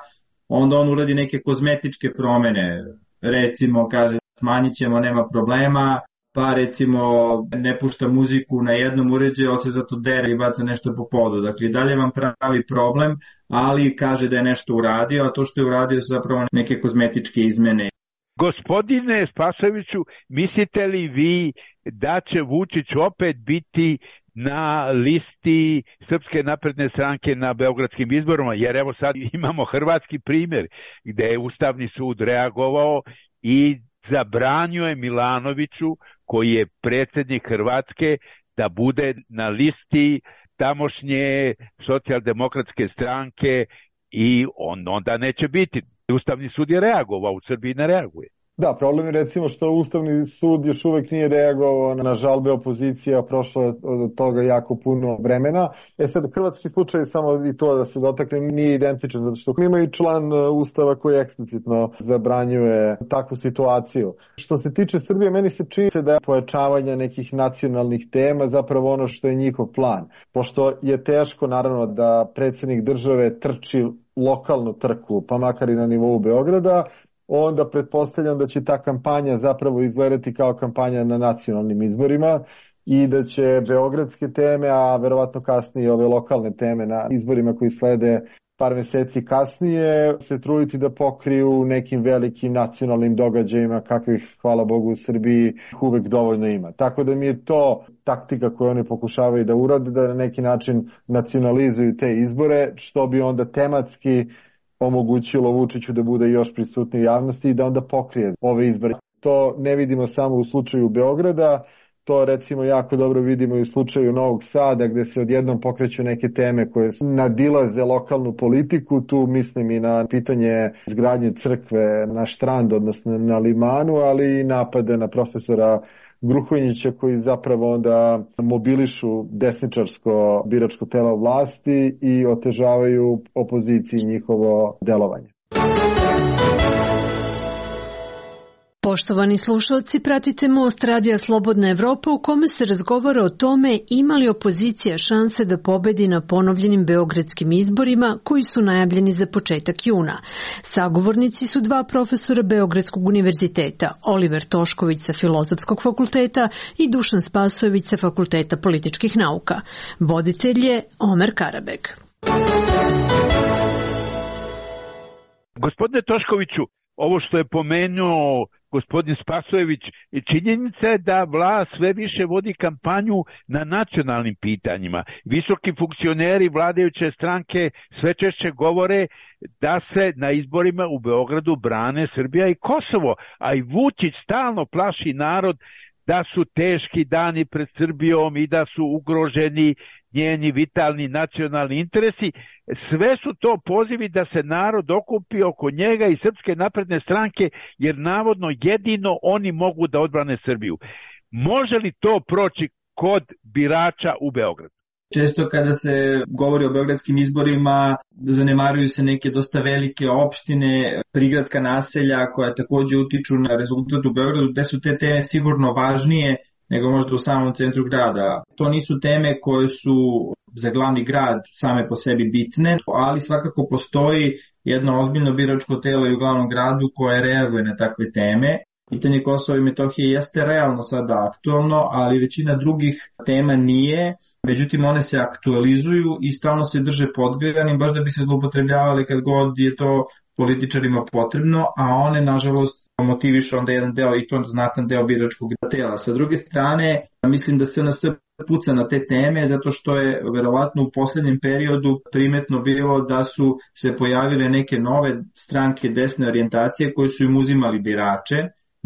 onda on uradi neke kozmetičke promjene, recimo kaže smanjit ćemo, nema problema, pa recimo ne pušta muziku na jednom uređaju, ali se zato dere i baca nešto po podu. Dakle, dalje vam pravi problem, ali kaže da je nešto uradio, a to što je uradio su zapravo neke kozmetičke izmene. Gospodine Spasoviću, mislite li vi da će Vučić opet biti na listi Srpske napredne stranke na beogradskim izborima? Jer evo sad imamo hrvatski primjer gdje je Ustavni sud reagovao i zabranio je Milanoviću, koji je predsjednik Hrvatske, da bude na listi tamošnje socijaldemokratske stranke i onda neće biti. Ustavni sud je reagovao, u Srbiji ne reaguje. Da, problem je recimo što Ustavni sud još uvek nije reagovao na žalbe opozicija, prošlo je od toga jako puno vremena. Sad, hrvatski slučaj, samo i to da se dotakne, nije identičan, zato što ima i član Ustava koji eksplicitno zabranjuje takvu situaciju. Što se tiče Srbije, meni se čini da je pojačavanje nekih nacionalnih tema zapravo ono što je njihov plan. Pošto je teško, naravno, da predsjednik države trči lokalnu trku, pa makar i na nivou Beograda, onda pretpostavljam da će ta kampanja zapravo izgledati kao kampanja na nacionalnim izborima i da će beogradske teme, a verovatno kasnije ove lokalne teme na izborima koji slede par meseci kasnije, se truditi da pokriju nekim velikim nacionalnim događajima kakvih, hvala Bogu, u Srbiji uvek dovoljno ima. Tako da mi je to taktika koju oni pokušavaju da urade, da na neki način nacionalizuju te izbore, što bi onda tematski omogućilo Vučiću da bude još prisutniji u javnosti i da onda pokrije ove izbore. To ne vidimo samo u slučaju Beograda, to recimo jako dobro vidimo i u slučaju Novog Sada, gde se odjednom pokreću neke teme koje nadilaze lokalnu politiku. Tu mislim i na pitanje izgradnje crkve na Štrand, odnosno na Limanu, ali i napade na profesora Gruhonjića koji zapravo onda mobilišu desničarsko biračko telo vlasti i otežavaju opoziciji njihovo delovanje. Poštovani slušalci, pratite Most Radija Slobodna Evropa u kome se razgovara o tome ima li opozicija šanse da pobedi na ponovljenim beogradskim izborima koji su najavljeni za početak juna. Sagovornici su dva profesora Beogradskog univerziteta, Oliver Tošković sa Filozofskog fakulteta i Dušan Spasojević sa Fakulteta političkih nauka. Voditelj je Omer Karabek. Gospodine Toškoviću, ovo što je pomenuo gospodin Spasojević, činjenica je da vlast sve više vodi kampanju na nacionalnim pitanjima. Visoki funkcioneri vladajuće stranke sve češće govore da se na izborima u Beogradu brane Srbija i Kosovo, a i Vučić stalno plaši narod da su teški dani pred Srbijom i da su ugroženi njeni vitalni nacionalni interesi. Sve su to pozivi da se narod okupi oko njega i Srpske napredne stranke, jer navodno jedino oni mogu da odbrane Srbiju. Može li to proći kod birača u Beogradu? Često kada se govori o beogradskim izborima, zanemaruju se neke dosta velike opštine, prigradska naselja koja takođe utiču na rezultat u Beogradu, gde su te teme sigurno važnije nego možda u samom centru grada. To nisu teme koje su za glavni grad same po sebi bitne, ali svakako postoji jedno ozbiljno biračko telo i u glavnom gradu koje reaguje na takve teme. Pitanje Kosova i Metohije jeste realno sada aktualno, ali većina drugih tema nije, međutim one se aktualizuju i stalno se drže podgrevanim, baš da bi se zloupotrebljavali kad god je to političarima potrebno, a one nažalost motivišu onda jedan deo i to znatan deo biračkog tela. Sa druge strane, mislim da SNS puca na te teme zato što je verovatno u poslednjem periodu primetno bilo da su se pojavile neke nove stranke desne orijentacije koje su im uzimali birače.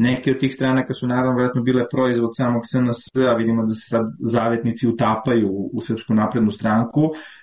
Neke od tih stranaka su naravno vjerojatno bile proizvod samog SNS-a, vidimo da se sad zavetnici utapaju u Srpsku naprednu stranku,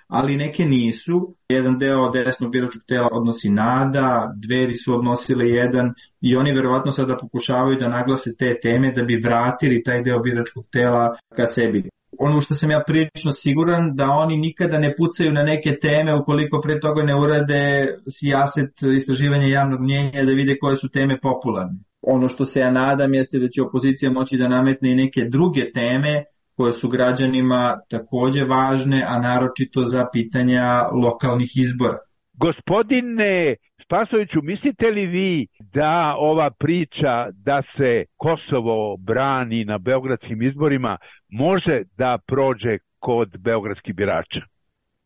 ali neke nisu. Jedan deo desnog biračkog tela odnosi NADA, Dveri su odnosile jedan i oni verovatno sada pokušavaju da naglase te teme da bi vratili taj deo biračkog tela ka sebi. Ono što sam ja prilično siguran da oni nikada ne pucaju na neke teme ukoliko pre toga ne urade sijaset istraživanja javnog mnjenja da vide koje su teme popularne. Ono što se ja nadam jeste da će opozicija moći da nametne i neke druge teme koje su građanima takođe važne, a naročito za pitanja lokalnih izbora. Gospodine Spasoviću, mislite li vi da ova priča da se Kosovo brani na beogradskim izborima može da prođe kod beogradskih birača?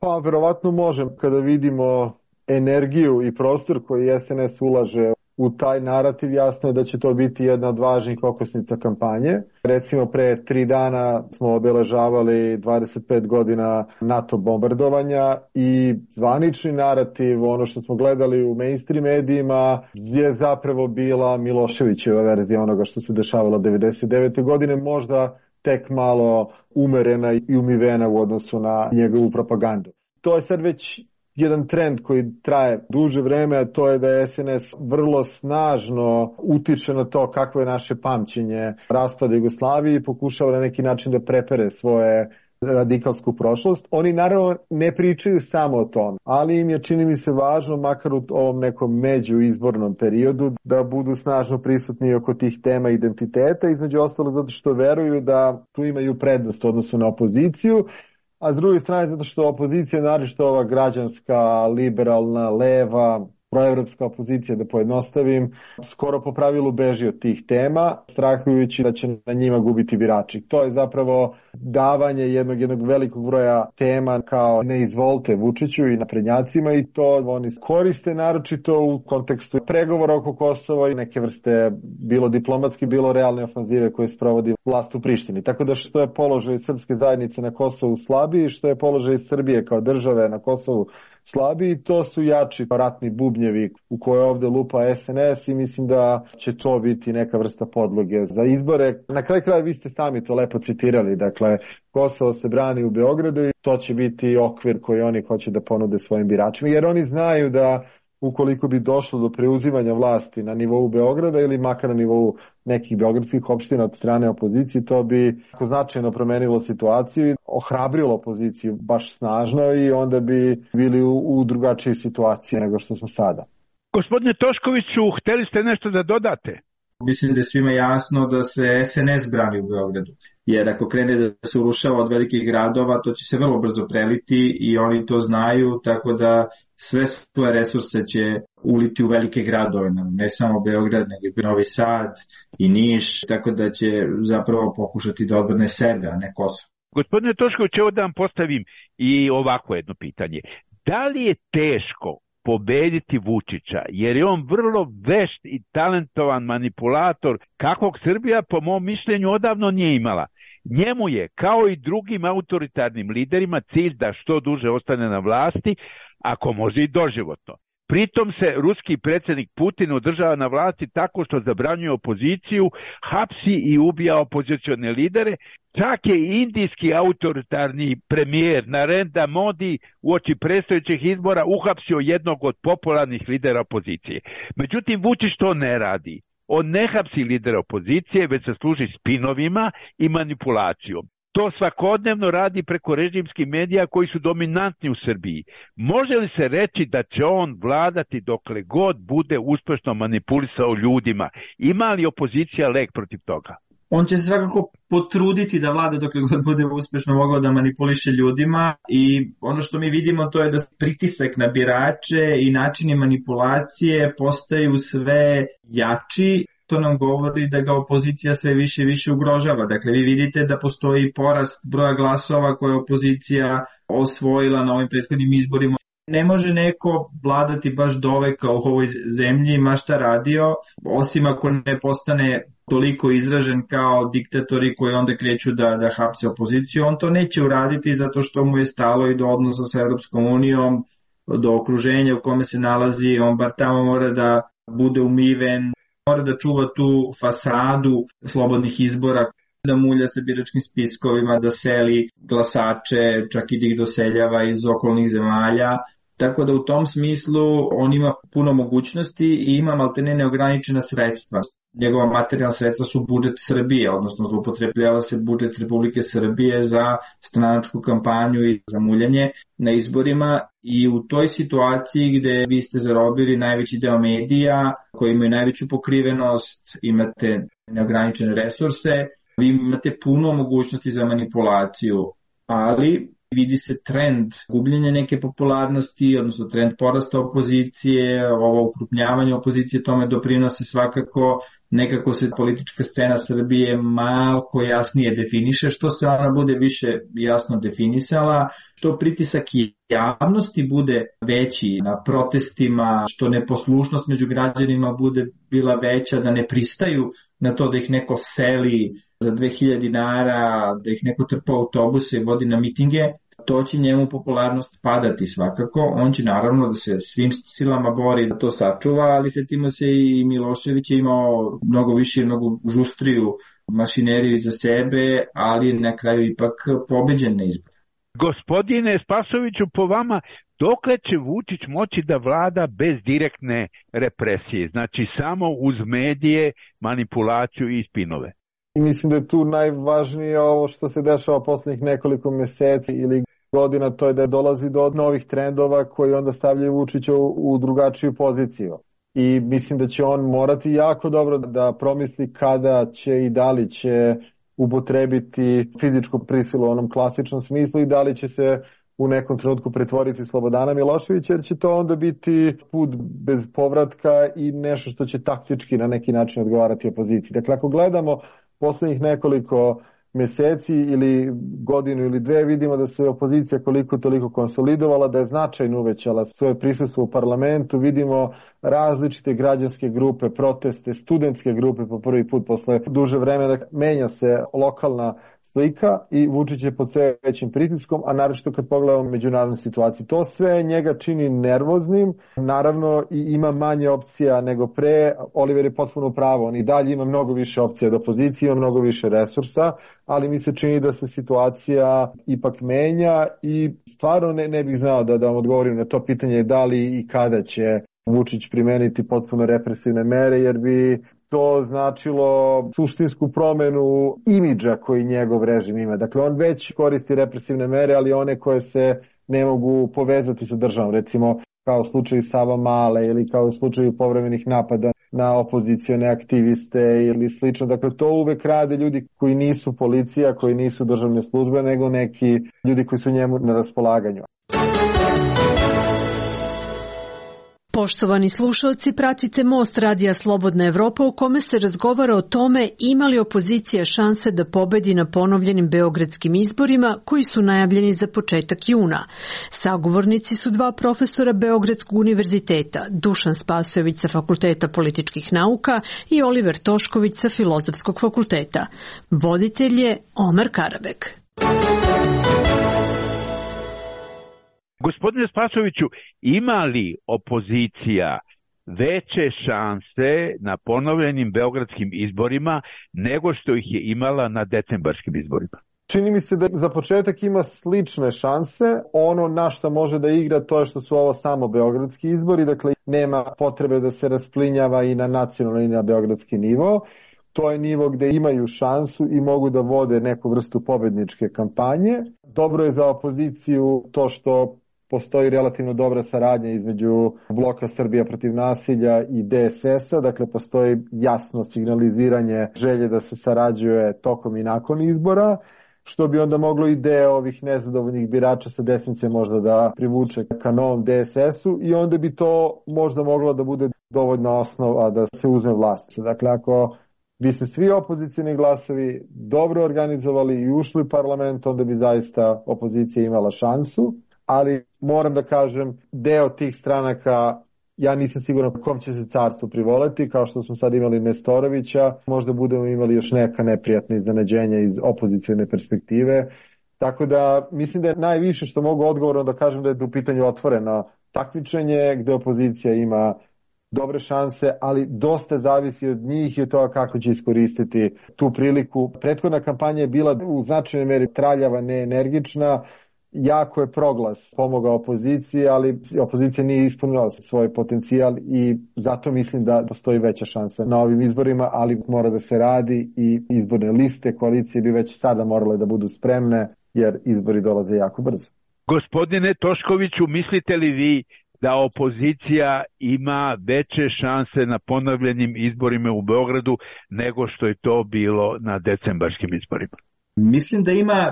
Pa, verovatno može. Kada vidimo energiju i prostor koji SNS ulaže u taj narativ, jasno je da će to biti jedna od važnih okosnica kampanje. Recimo pre 3 dana smo obeležavali 25 godina NATO bombardovanja i zvanični narativ, ono što smo gledali u mainstream medijima, je zapravo bila Miloševićeva verzija onoga što se dešavalo 99. godine, možda tek malo umerena i umivena u odnosu na njegovu propagandu. To je sad već jedan trend koji traje duže vreme, a to je da SNS vrlo snažno utiče na to kakvo je naše pamćenje raspada Jugoslavije i pokušava na neki način da prepere svoje radikalsku prošlost. Oni naravno ne pričaju samo o tom, ali im je, čini mi se, važno, makar u ovom nekom međuizbornom periodu, da budu snažno prisutni oko tih tema identiteta, između ostalo zato što veruju da tu imaju prednost u odnosu na opoziciju, a s druge strane zato što opozicija, naročito ova građanska, liberalna, leva, proevropska opozicija, da pojednostavim, skoro po pravilu beži od tih tema, strahujući da će na njima gubiti birači. To je zapravo davanje jednog velikog broja tema kao ne izvolite Vučiću i naprednjacima, i to oni koriste naročito u kontekstu pregovora oko Kosova i neke vrste bilo diplomatski, bilo realne ofanzive koje sprovodi vlast u Prištini. Tako da što je položaj srpske zajednice na Kosovu slabiji, što je položaj Srbije kao države na Kosovu slabiji, to su jači ratni bubnjevi u koje ovde lupa SNS i mislim da će to biti neka vrsta podloge za izbore. Na kraju kraja vi ste sami to lepo citirali, dakle Kosovo se brani u Beogradu i to će biti okvir koji oni hoće da ponude svojim biračima, jer oni znaju da ukoliko bi došlo do preuzimanja vlasti na nivou Beograda ili makar na nivou nekih beogradskih opština od strane opozicije, to bi značajno promenilo situaciju, ohrabrilo opoziciju baš snažno i onda bi bili u drugačijoj situaciji nego što smo sada. Gospodine Toškoviću, hteli ste nešto da dodate? Mislim da je svima jasno da se SNS brani u Beogradu, jer ako krene da se urušava od velikih gradova, to će se vrlo brzo preliti i oni to znaju, tako da sve svoje resurse će uliti u velike gradove, ne samo Beograd, nego i Novi Sad i Niš, tako da će zapravo pokušati da odbrane sebe, a ne Kosovo. Gospodine Tošković, evo da vam postavim i ovako jedno pitanje. Da li je teško pobediti Vučića, jer je on vrlo vešt i talentovan manipulator kakvog Srbija po mom mišljenju odavno nije imala. Njemu je, kao i drugim autoritarnim liderima, cilj da što duže ostane na vlasti, ako može i doživotno. Pritom se ruski predsjednik Putin održava na vlasti tako što zabranjuje opoziciju, hapsi i ubija opozicione lidere. Čak je i indijski autoritarni premijer Narendra Modi uoči predstojećih izbora uhapsio jednog od popularnih lidera opozicije. Međutim, Vučić to ne radi. On ne hapsi lidera opozicije, već se služi spinovima i manipulacijom. To svakodnevno radi preko režimskih medija koji su dominantni u Srbiji. Može li se reći da će on vladati dokle god bude uspešno manipulisao ljudima? Ima li opozicija lek protiv toga? On će se svakako potruditi da vlada dokle god bude uspešno mogao da manipuliše ljudima i ono što mi vidimo to je da pritisak na birače i načini manipulacije postaju sve jači. To nam govori da ga opozicija sve više i više ugrožava. Dakle, vi vidite da postoji porast broja glasova koje je opozicija osvojila na ovim prethodnim izborima. Ne može neko vladati baš doveka u ovoj zemlji, ma šta radio, osim ako ne postane toliko izražen kao diktatori koji onda kreću da hapse opoziciju. On to neće uraditi zato što mu je stalo i do odnosa sa Europskom unijom, do okruženja u kome se nalazi. On bar tamo mora da bude umiven, mora da čuva tu fasadu slobodnih izbora, da mulja sa biračkim spiskovima, da seli glasače, čak i da ih doseljava iz okolnih zemalja. Tako da u tom smislu on ima puno mogućnosti i ima maltene neograničena sredstva. Njegova materijalna sredstva su budžet Srbije, odnosno zloupotrebljava se budžet Republike Srbije za stranačku kampanju i za muljanje na izborima i u toj situaciji gde vi ste zarobili najveći deo medija koji imaju najveću pokrivenost, imate neograničene resurse, vi imate puno mogućnosti za manipulaciju, ali vidi se trend gubljenja neke popularnosti, odnosno trend porasta opozicije, ovo ukrupnjavanje opozicije tome doprinose svakako, nekako se politička scena Srbije malko jasnije definiše, što se ona bude više jasno definisala, što pritisak javnosti bude veći na protestima, što neposlušnost među građanima bude bila veća, da ne pristaju na to da ih neko seli za 2000 dinara, da ih neko trpa autobuse i vodi na mitinge, to će njemu popularnost padati svakako. On će naravno da se svim silama bori da to sačuva, ali setimo se i Milošević je imao mnogo više i mnogo žustriju mašineriju za sebe, ali na kraju ipak pobeđen na izbor. Gospodine Spasoviću, po vama, dokle će Vučić moći da vlada bez direktne represije, znači samo uz medije, manipulaciju i spinove? I mislim da je tu najvažnije ovo što se dešava poslednjih nekoliko meseci ili godina, to je da dolazi do novih trendova koji onda stavljaju Vučića u drugačiju poziciju. I mislim da će on morati jako dobro da promisli kada će i da li će upotrebiti fizičku prisilu u onom klasičnom smislu i da li će se u nekom trenutku pretvoriti Slobodana Miloševića, jer će to onda biti put bez povratka i nešto što će taktički na neki način odgovarati opoziciji. Dakle, ako gledamo poslednjih nekoliko meseci ili godinu ili dve, vidimo da se opozicija koliko toliko konsolidovala, da je značajno uvećala svoje prisustvo u parlamentu, vidimo različite građanske grupe, proteste, studentske grupe po prvi put posle duže vremena, menja se lokalna slika i Vučić je pod sve većim pritiskom, a naročito kad pogledamo međunarodnu situaciju. To sve njega čini nervoznim, naravno i ima manje opcija nego pre. Oliver je potpuno pravo, on i dalje ima mnogo više opcija od opozicije, ima mnogo više resursa, ali mi se čini da se situacija ipak menja i stvarno ne bih znao da vam odgovorim na to pitanje da li i kada će Vučić primeniti potpuno represivne mere, jer bi to značilo suštinsku promenu imidža koji njegov režim ima. Dakle, on već koristi represivne mere, ali one koje se ne mogu povezati sa državom, recimo kao u slučaju Savamale ili kao u slučaju povremenih napada na opozicione aktiviste ili slično. Dakle, to uvek rade ljudi koji nisu policija, koji nisu državne službe, nego neki ljudi koji su njemu na raspolaganju. Poštovani slušalci, pratite Most radija Slobodna Evropa u kome se razgovara o tome ima li opozicija šanse da pobedi na ponovljenim beogradskim izborima koji su najavljeni za početak juna. Sagovornici su dva profesora Beogradskog univerziteta, Dušan Spasojević sa Fakulteta političkih nauka i Oliver Tošković sa Filozofskog fakulteta. Voditelj je Omer Karabek. Gospodine Spasoviću, ima li opozicija veće šanse na ponovljenim beogradskim izborima nego što ih je imala na decembarskim izborima? Čini mi se da za početak ima slične šanse. Ono na što može da igra to je što su ovo samo beogradski izbori, dakle nema potrebe da se rasplinjava i na nacionalni i na beogradski nivo. To je nivo gde imaju šansu i mogu da vode neku vrstu pobedničke kampanje. Dobro je za opoziciju to što postoji relativno dobra saradnja između Bloka Srbija protiv nasilja i DSS-a, dakle postoji jasno signaliziranje želje da se sarađuje tokom i nakon izbora, što bi onda moglo i deo ovih nezadovoljnih birača sa desnice možda da privuče ka novom DSS-u i onda bi to možda moglo da bude dovoljna osnova da se uzme vlast. Dakle, ako bi se svi opozicijni glasovi dobro organizovali i ušli u parlament, onda bi zaista opozicija imala šansu. Ali moram da kažem, deo tih stranaka, ja nisam siguran kom će se carstvo privoleti, kao što smo sad imali Nestorovića, možda budemo imali još neka neprijatna iznenađenja iz opozicijne perspektive. Tako da mislim da je najviše što mogu odgovorno da kažem da je u pitanju otvoreno takmičenje gde opozicija ima dobre šanse, ali dosta zavisi od njih i od toga kako će iskoristiti tu priliku. Prethodna kampanja je bila u značajnoj meri traljava, neenergična. Jako je proglas pomogao opoziciji, ali opozicija nije ispunila svoj potencijal i zato mislim da postoji veća šansa na ovim izborima, ali mora da se radi i izborne liste, koalicije bi već sada morale da budu spremne jer izbori dolaze jako brzo. Gospodine Toškoviću, mislite li vi da opozicija ima veće šanse na ponovljenim izborima u Beogradu nego što je to bilo na decembarskim izborima? Mislim da ima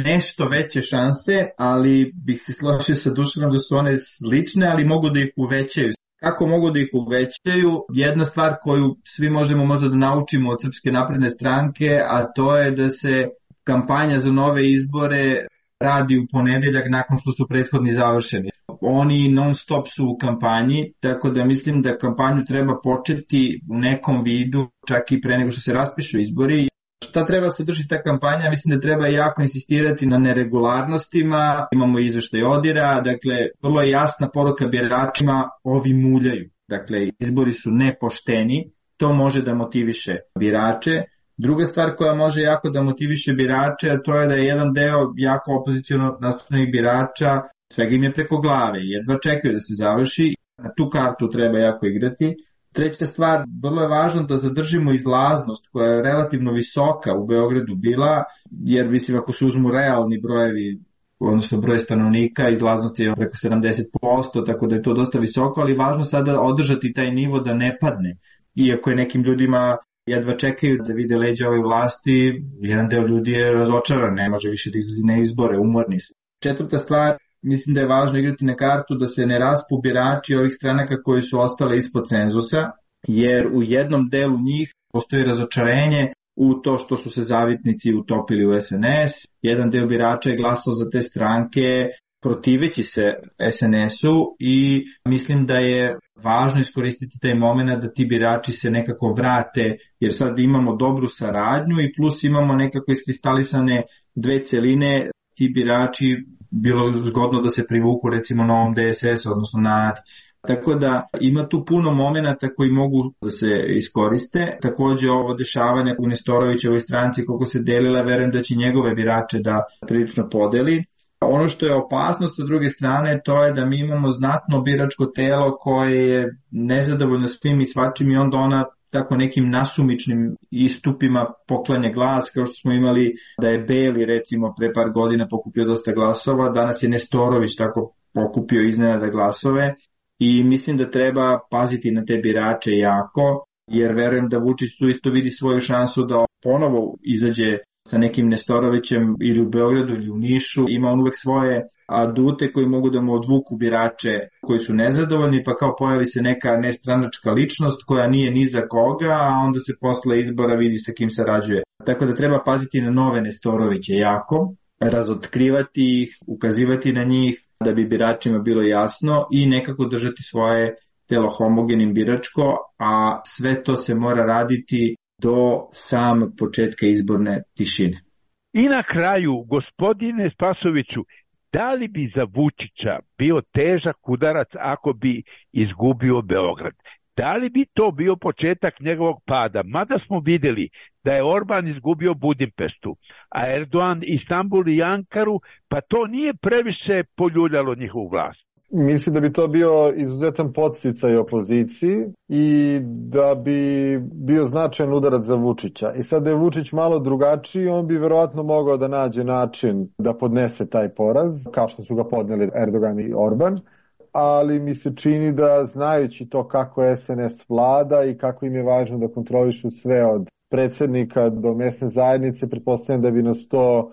nešto veće šanse, ali bih se složio sa Dušanom da su one slične, ali mogu da ih uvećaju. Kako mogu da ih uvećaju? Jedna stvar koju svi možemo možda da naučimo od Srpske napredne stranke, a to je da se kampanja za nove izbore radi u ponedeljak nakon što su prethodni završeni. Oni non stop su u kampanji, tako da mislim da kampanju treba početi u nekom vidu, čak i pre nego što se raspišu izbori. Šta treba se drži ta kampanja? Mislim da treba jako insistirati na neregularnostima, imamo izveštaj ODIR-a, dakle vrlo je jasna poruka biračima, ovi muljaju. Dakle, izbori su nepošteni, to može da motiviše birače. Druga stvar koja može jako da motiviše birače, to je da je jedan deo jako opoziciono nastupljenih birača, svega im je preko glave, jedva čekaju da se završi, na tu kartu treba jako igrati. Treća stvar, vrlo je važno da zadržimo izlaznost koja je relativno visoka u Beogradu bila, jer mislim ako se uzmu realni brojevi, odnosno broj stanovnika, izlaznost je preko 70%, tako da je to dosta visoko, ali važno sada održati taj nivo da ne padne. Iako je nekim ljudima jedva čekaju da vide leđa ove vlasti, jedan deo ljudi je razočaran, ne može više da izlazi na izbore, umorni su. Četvrta stvar, mislim da je važno igrati na kartu da se ne raspu birači ovih stranaka koji su ostale ispod cenzusa, jer u jednom delu njih postoji razočarenje u to što su se zavitnici utopili u SNS. Jedan deo birača je glasao za te stranke protiveći se SNS-u i mislim da je važno iskoristiti taj moment da ti birači se nekako vrate, jer sad imamo dobru saradnju i plus imamo nekako iskristalisane dve celine, ti birači bilo zgodno da se privuku recimo novom DSS, odnosno NADI. Tako da ima tu puno momenata koji mogu da se iskoriste. Takođe ovo dešavanje u Nestorovićevoj stranci koliko se delila, verujem da će njegove birače da prilično podeli. Ono što je opasnost sa druge strane to je da mi imamo znatno biračko telo koje je nezadovoljno svim i svačim i onda ona tako nekim nasumičnim istupima poklanja glas, kao što smo imali da je Beli recimo pre par godina pokupio dosta glasova, danas je Nestorović tako pokupio iznenada glasove i mislim da treba paziti na te birače jako, jer verujem da Vučić tu isto vidi svoju šansu da ponovo izađe sa nekim Nestorovićem ili u Beogradu ili u Nišu, ima on uvek svoje adute koji mogu da mu odvuku birače koji su nezadovoljni, pa kao pojavi se neka nestranačka ličnost koja nije ni za koga, a onda se posle izbora vidi sa kim sarađuje. Tako da treba paziti na nove Nestoroviće jako, razotkrivati ih, ukazivati na njih da bi biračima bilo jasno i nekako držati svoje telo homogenim biračko, a sve to se mora raditi do sam početka izborne tišine. I na kraju, gospodine Spasoviću, da li bi za Vučića bio težak udarac ako bi izgubio Beograd? Da li bi to bio početak njegovog pada? Mada smo vidjeli da je Orban izgubio Budimpeštu, a Erdogan Istanbul i Ankaru, pa to nije previše poljuljalo njihovu vlast. Mislim da bi to bio izuzetan podsticaj opoziciji i da bi bio značajan udarac za Vučića. I sad da je Vučić malo drugačiji, on bi verovatno mogao da nađe način da podnese taj poraz, kao što su ga podneli Erdogan i Orban. Ali mi se čini da znajući to kako SNS vlada i kako im je važno da kontrolišu sve od predsjednika do mesne zajednice, pretpostavljam da bi nas to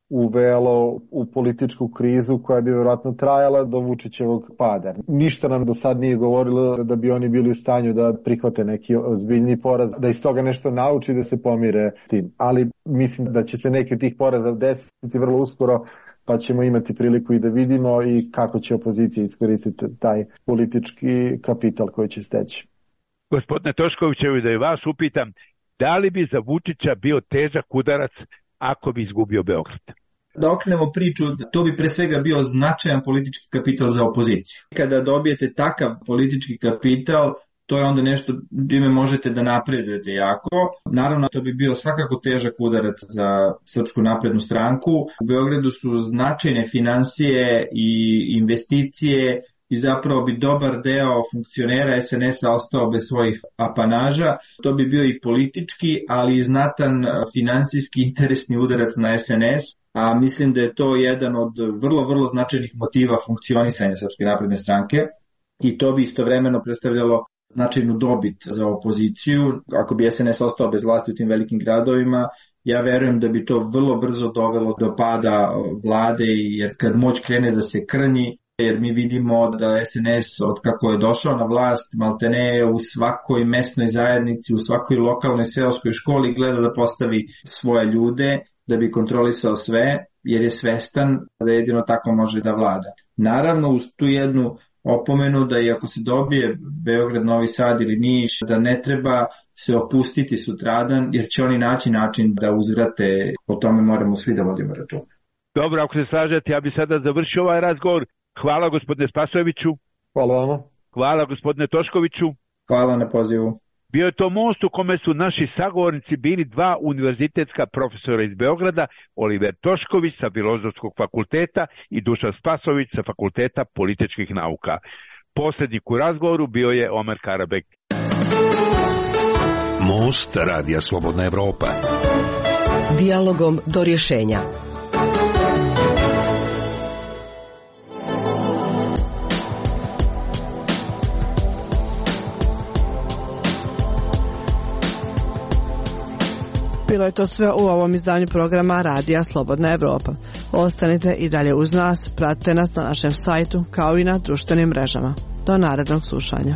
uvelo u političku krizu koja bi vjerojatno trajala do Vučićevog pada. Ništa nam do sad nije govorilo da bi oni bili u stanju da prihvate neki ozbiljni poraz, da iz toga nešto nauči da se pomire s tim. Ali mislim da će se neki od tih poraza desiti vrlo uskoro, pa ćemo imati priliku i da vidimo i kako će opozicija iskoristiti taj politički kapital koji će steći. Gospodine Toškovićevi, da i vas upitam, da li bi za Vučića bio težak udarac ako bi izgubio Beograd? Da okrenemo priču, to bi pre svega bio značajan politički kapital za opoziciju. Kada dobijete takav politički kapital, to je onda nešto čime možete da napredujete jako. Naravno, to bi bio svakako težak udarac za Srpsku naprednu stranku. U Beogradu su značajne finansije i investicije i zapravo bi dobar deo funkcionera SNS-a ostao bez svojih apanaža. To bi bio i politički, ali i znatan finansijski interesni udarac na SNS, a mislim da je to jedan od vrlo značajnih motiva funkcionisanja Srpske napredne stranke i to bi istovremeno predstavljalo značajnu dobit za opoziciju. Ako bi SNS ostao bez vlasti u tim velikim gradovima, ja verujem da bi to vrlo brzo dovelo do pada vlade, jer kad moć krene da se krnji, jer mi vidimo da SNS od kako je došao na vlast maltene u svakoj mesnoj zajednici, u svakoj lokalnoj seoskoj školi gleda da postavi svoje ljude da bi kontrolisao sve, jer je svestan da jedino tako može da vlada. Naravno, uz tu jednu opomenu da i ako se dobije Beograd, Novi Sad ili Niš, da ne treba se opustiti sutradan, jer će oni naći način da uzvrate, o tome moramo svi da vodimo računa. Dobro, ako se slažete, ja bi sada završio ovaj razgovor. Hvala gospodine Spasojeviću. Hvala vama. Hvala gospodine Toškoviću. Hvala na pozivu. Bio je to most u kome su naši sagovornici bili dva univerzitetska profesora iz Beograda, Oliver Tošković sa Filozofskog fakulteta i Dušan Spasović sa Fakulteta političkih nauka. Poslednjik u razgovoru bio je Omer Karabek. Most Radija Slobodna Evropa. Dijalogom do rješenja. Bilo je to sve u ovom izdanju programa Radija Slobodna Evropa. Ostanite i dalje uz nas, pratite nas na našem sajtu kao i na društvenim mrežama. Do narednog slušanja.